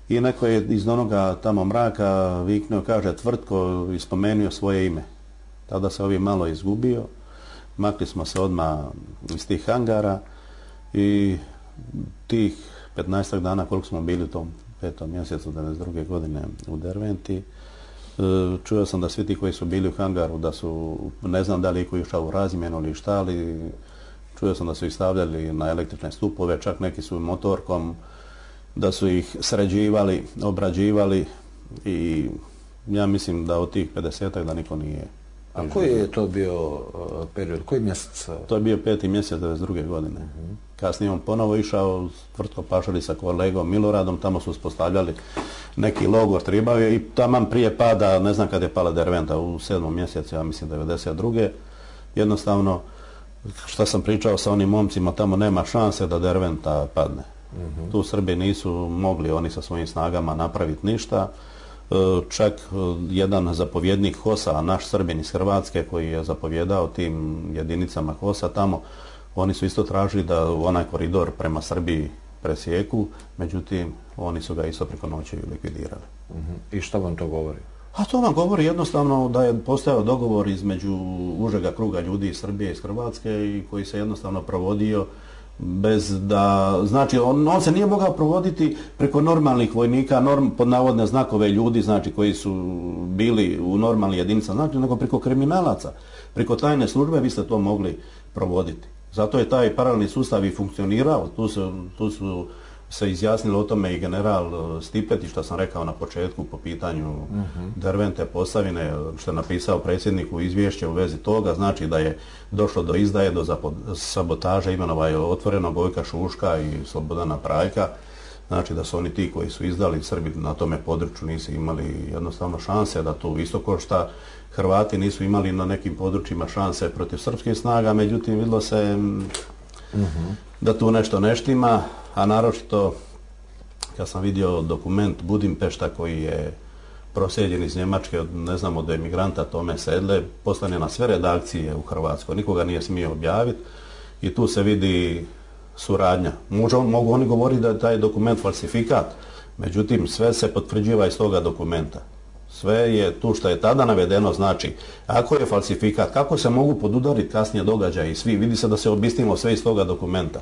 I neko je iz onoga tamo mraka viknuo, kaže Tvrtko, i spomenuo svoje ime. Tada se ovi malo izgubio, makli smo se odmah iz tih hangara i tih 15 dana koliko smo bili u tom 5. mjesecu 1992. godine u Derventi, čuo sam da svi ti koji su bili u hangaru, da su, ne znam da li iko išao u razmjenu ili šta, ali čuo sam da su ih stavljali na električne stupove, čak neki su motorkom, da su ih sređivali, obrađivali i ja mislim da od tih 50-ak da niko nije. A koji je to bio period, koji mjesec? To je bio 5. mjesec 1992. godine. Kasnije on ponovo išao s Tvrtko Pašali sa kolegom Miloradom, tamo su uspostavljali neki logor Tribavije i taman prije pada, ne znam kad je pala Derventa, u 7. mjesecu, ja mislim 1992. Jednostavno, što sam pričao sa onim momcima, tamo nema šanse da Derventa padne. Tu Srbi nisu mogli oni sa svojim snagama napraviti ništa. Čak jedan zapovjednik HOS-a, naš Srbin iz Hrvatske koji je zapovjedao tim jedinicama HOS-a tamo, oni su isto tražili da onaj koridor prema Srbiji presijeku, međutim oni su ga isto preko noći likvidirali. I što vam to govori? A to vam govori jednostavno da je postojao dogovor između užega kruga ljudi iz Srbije i iz Hrvatske i koji se jednostavno provodio bez da, znači on se nije mogao provoditi preko normalnih vojnika, pod navodne znakove ljudi, znači koji su bili u normalnim jedinicama, znači nego preko kriminalaca, preko tajne službe vi ste to mogli provoditi. Zato je taj paralelni sustav i funkcionirao, tu su se izjasnili o tome i general Stipetić, što sam rekao na početku po pitanju Dervente, Posavine, što je napisao predsjedniku izvješće u vezi toga, znači da je došlo do izdaje, do sabotaže, imenova je otvoreno Gojka Šuška i Slobodana Prajka, znači da su oni ti koji su izdali, Srbi na tome području nisu imali jednostavno šanse da tu isto ko šta Hrvati nisu imali na nekim područjima šanse protiv srpskih snaga, međutim vidjelo se da tu nešto ne štima, a naročito kad sam vidio dokument Budimpešta koji je proslijeđen iz Njemačke, ne znam, od emigranta Tome Sedle, poslane na sve redakcije u Hrvatskoj, nikoga nije smio objaviti i tu se vidi suradnja. Mogu oni govoriti da je taj dokument falsifikat, međutim sve se potvrđiva iz toga dokumenta. Sve je tu što je tada navedeno, znači, ako je falsifikat, kako se mogu podudariti kasnije događaji i svi, vidi se da se obistimo sve iz toga dokumenta.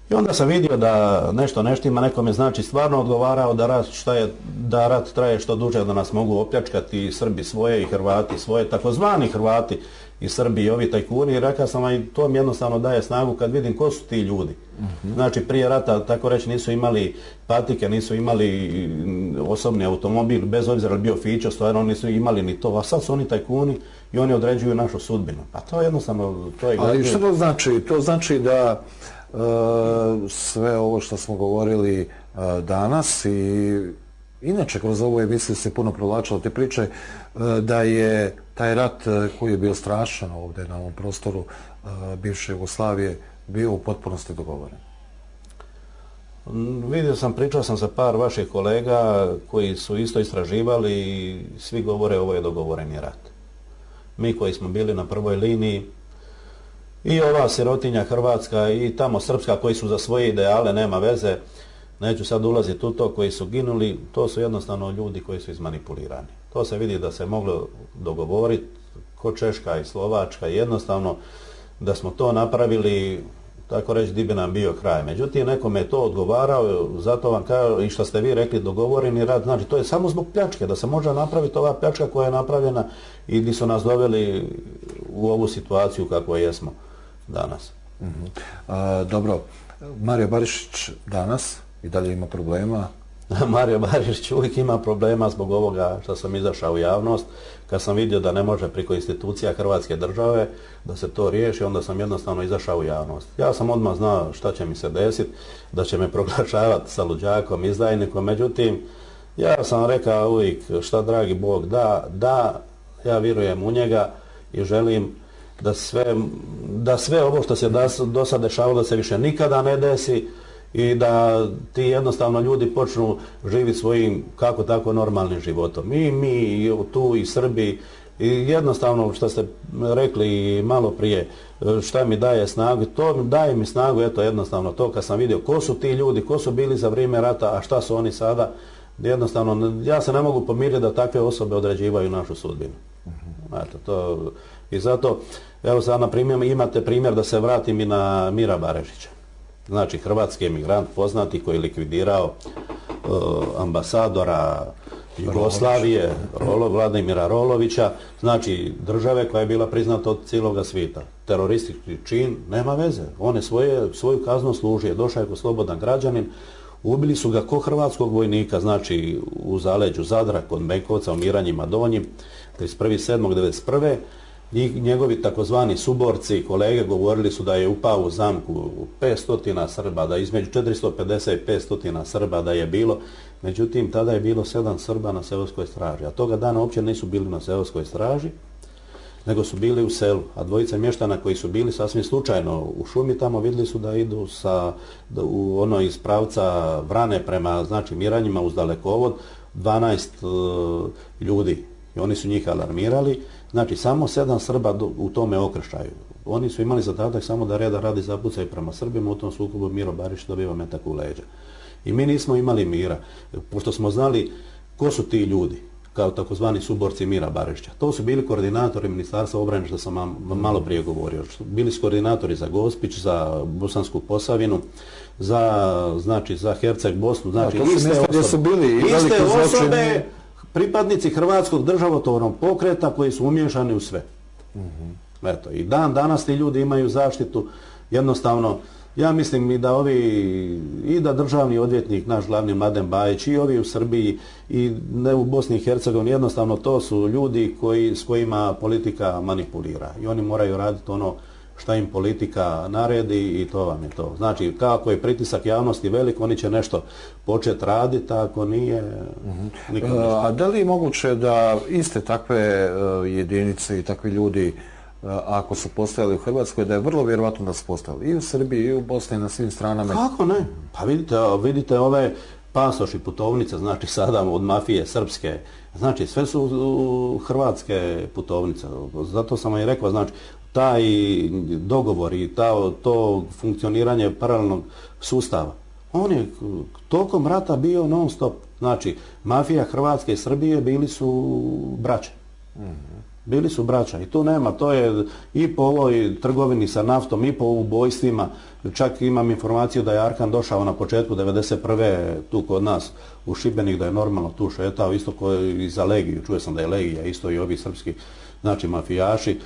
I onda sam vidio da nešto ne štima, nekome znači stvarno odgovarao da rat traje što duže, da nas mogu opljačkati i Srbi svoje i Hrvati svoje, takozvani Hrvati i Srbi i ovi tajkuni, i rekao sam, i to mi jednostavno daje snagu kad vidim ko su ti ljudi. Znači prije rata, tako reći, nisu imali patike, nisu imali osobni automobil, bez obzira li bio Fićo, stvarno nisu imali ni to, a sad su oni tajkuni i oni određuju našu sudbinu. Pa to jednostavno, to je... Ali što to znači? To znači da sve ovo što smo govorili danas i inače kroz ovu emisiju se puno provlačilo te priče, da je taj rat koji je bio strašan ovdje na ovom prostoru bivše Jugoslavije bio u potpunosti dogovoren. Vidio sam, pričao sam sa par vaših kolega koji su isto istraživali i svi govore ovo je dogovoreni rat. Mi koji smo bili na prvoj liniji i ova sirotinja Hrvatska i tamo Srpska koji su za svoje ideale, nema veze, neću sad ulaziti u to, koji su ginuli, to su jednostavno ljudi koji su izmanipulirani. To se vidi da se moglo dogovoriti ko Češka i Slovačka, jednostavno da smo to napravili, tako reći, di bi nam bio kraj. Međutim, nekome je to odgovarao, zato vam kažem, i što ste vi rekli, dogovoreni rat, znači to je samo zbog pljačke, da se može napraviti ova pljačka koja je napravljena i gdje su nas doveli u ovu situaciju kako jesmo danas. Dobro, Mario Barišić danas i dalje ima problema? Mario Barišić uvijek ima problema zbog ovoga što sam izašao u javnost. Kad sam vidio da ne može preko institucija Hrvatske države da se to riješi, onda sam jednostavno izašao u javnost. Ja sam odmah znao šta će mi se desiti, da će me proglašavati sa luđakom, izdajnikom, međutim, ja sam rekao uvijek šta dragi Bog da, ja vjerujem u njega i želim da sve ovo što se do sad dešavalo da se više nikada ne desi i da ti jednostavno ljudi počnu živjeti svojim kako tako normalnim životom. I mi tu i Srbi i jednostavno što ste rekli malo prije šta mi daje snagu, to daje mi snagu, eto jednostavno to kad sam vidio ko su ti ljudi, ko su bili za vrijeme rata, a šta su oni sada, jednostavno ja se ne mogu pomiriti da takve osobe određivaju našu sudbinu. Eto, to, i zato, evo sad na primjer, imate primjer da se vratim i na Mira Barišića. znači hrvatski emigrant poznati koji je likvidirao ambasadora Jugoslavije, Vladimira Rolovića, znači države koja je bila priznata od cijeloga svijeta. Teroristički čin, nema veze. On je svoju kaznu služio, došao je kao slobodan građanin, ubili su ga ko hrvatskog vojnika, znači u zaleđu Zadra, kod Benkovca, u Miranjima Donjim, 31.7.1991. I njegovi takozvani suborci, kolege, govorili su da je upao u zamku 500 Srba, da između 450 i 500 Srba da je bilo. Međutim, tada je bilo 7 Srba na seoskoj straži, a toga dana uopće nisu bili na seoskoj straži, nego su bili u selu. A dvojica mještana koji su bili sasvim slučajno u šumi tamo vidjeli su da idu iz pravca Vrane prema, znači, Miranjima uz dalekovod 12 ljudi. I oni su njih alarmirali. Znači, samo 7 Srba u tome okršaju. Oni su imali zadatak samo da reda radi zapucaju prema Srbima, u tom sukobu Miro Barišić dobiva metak u leđa. I mi nismo imali mira, pošto smo znali ko su ti ljudi, kao takozvani suborci Mira Barišića. To su bili koordinatori Ministarstva obrane, što sam malo prije govorio. Bili su koordinatori za Gospić, za Bosansku Posavinu, za Herceg Bosnu, znači iste osobe, pripadnici Hrvatskog državotvornog pokreta koji su umiješani u sve. Eto, i danas ti ljudi imaju zaštitu, jednostavno, ja mislim i da državni odvjetnik, naš glavni Mladen Bajić, i ovi u Srbiji i ne u Bosni i Hercegovini, jednostavno to su ljudi s kojima politika manipulira i oni moraju raditi ono šta im politika naredi i to vam je to. Znači, kako je pritisak javnosti velik, oni će nešto početi raditi, a ako nije, nikad ništa. A da li je moguće da iste takve jedinice i takvi ljudi, ako su postojali u Hrvatskoj, da je vrlo vjerovatno da su postojali i u Srbiji i u Bosni i na svim stranama? Kako ne? Pa vidite ove pasoši, putovnice, znači sada od mafije srpske, znači sve su hrvatske putovnice. Zato sam vam i rekao, znači taj dogovor i to funkcioniranje paralelnog sustava, on je tokom rata bio non stop. Znači, mafija Hrvatske i Srbije bili su braća. Bili su braća i tu nema, to je i po ovoj trgovini sa naftom i po ubojstvima. Čak imam informaciju da je Arkan došao na početku 1991. tu kod nas u Šibenik, da je normalno tu šetao, isto kao i za Legiju. Čuo sam da je Legija, isto i ovi srpski, znači mafijaši,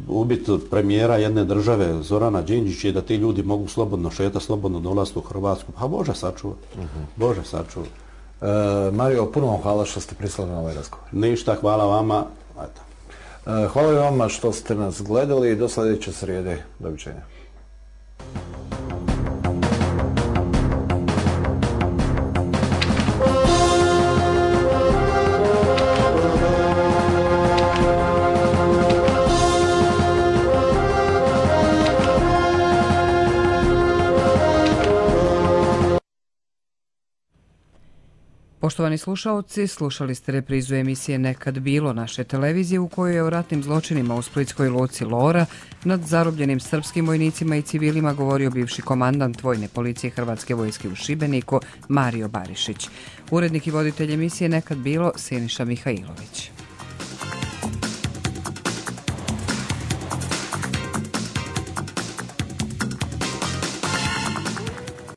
ubit premijera jedne države Zorana Đinđića i da ti ljudi mogu slobodno šetati, slobodno dolaziti u Hrvatsku. Pa Bože sačuva, Bože sačuva. Mario, puno vam hvala što ste pristali na ovaj razgovor. Ništa, hvala vama. Hvala i vama što ste nas gledali i do sljedeće srijede. Doviđenja. Poštovani slušaoci, slušali ste reprizu emisije Nekad bilo naše televizije u kojoj je o ratnim zločinima u splitskoj luci Lora nad zarobljenim srpskim vojnicima i civilima govorio bivši komandant Vojne policije Hrvatske vojske u Šibeniku Mario Barišić. Urednik i voditelj emisije Nekad bilo Siniša Mihajlović.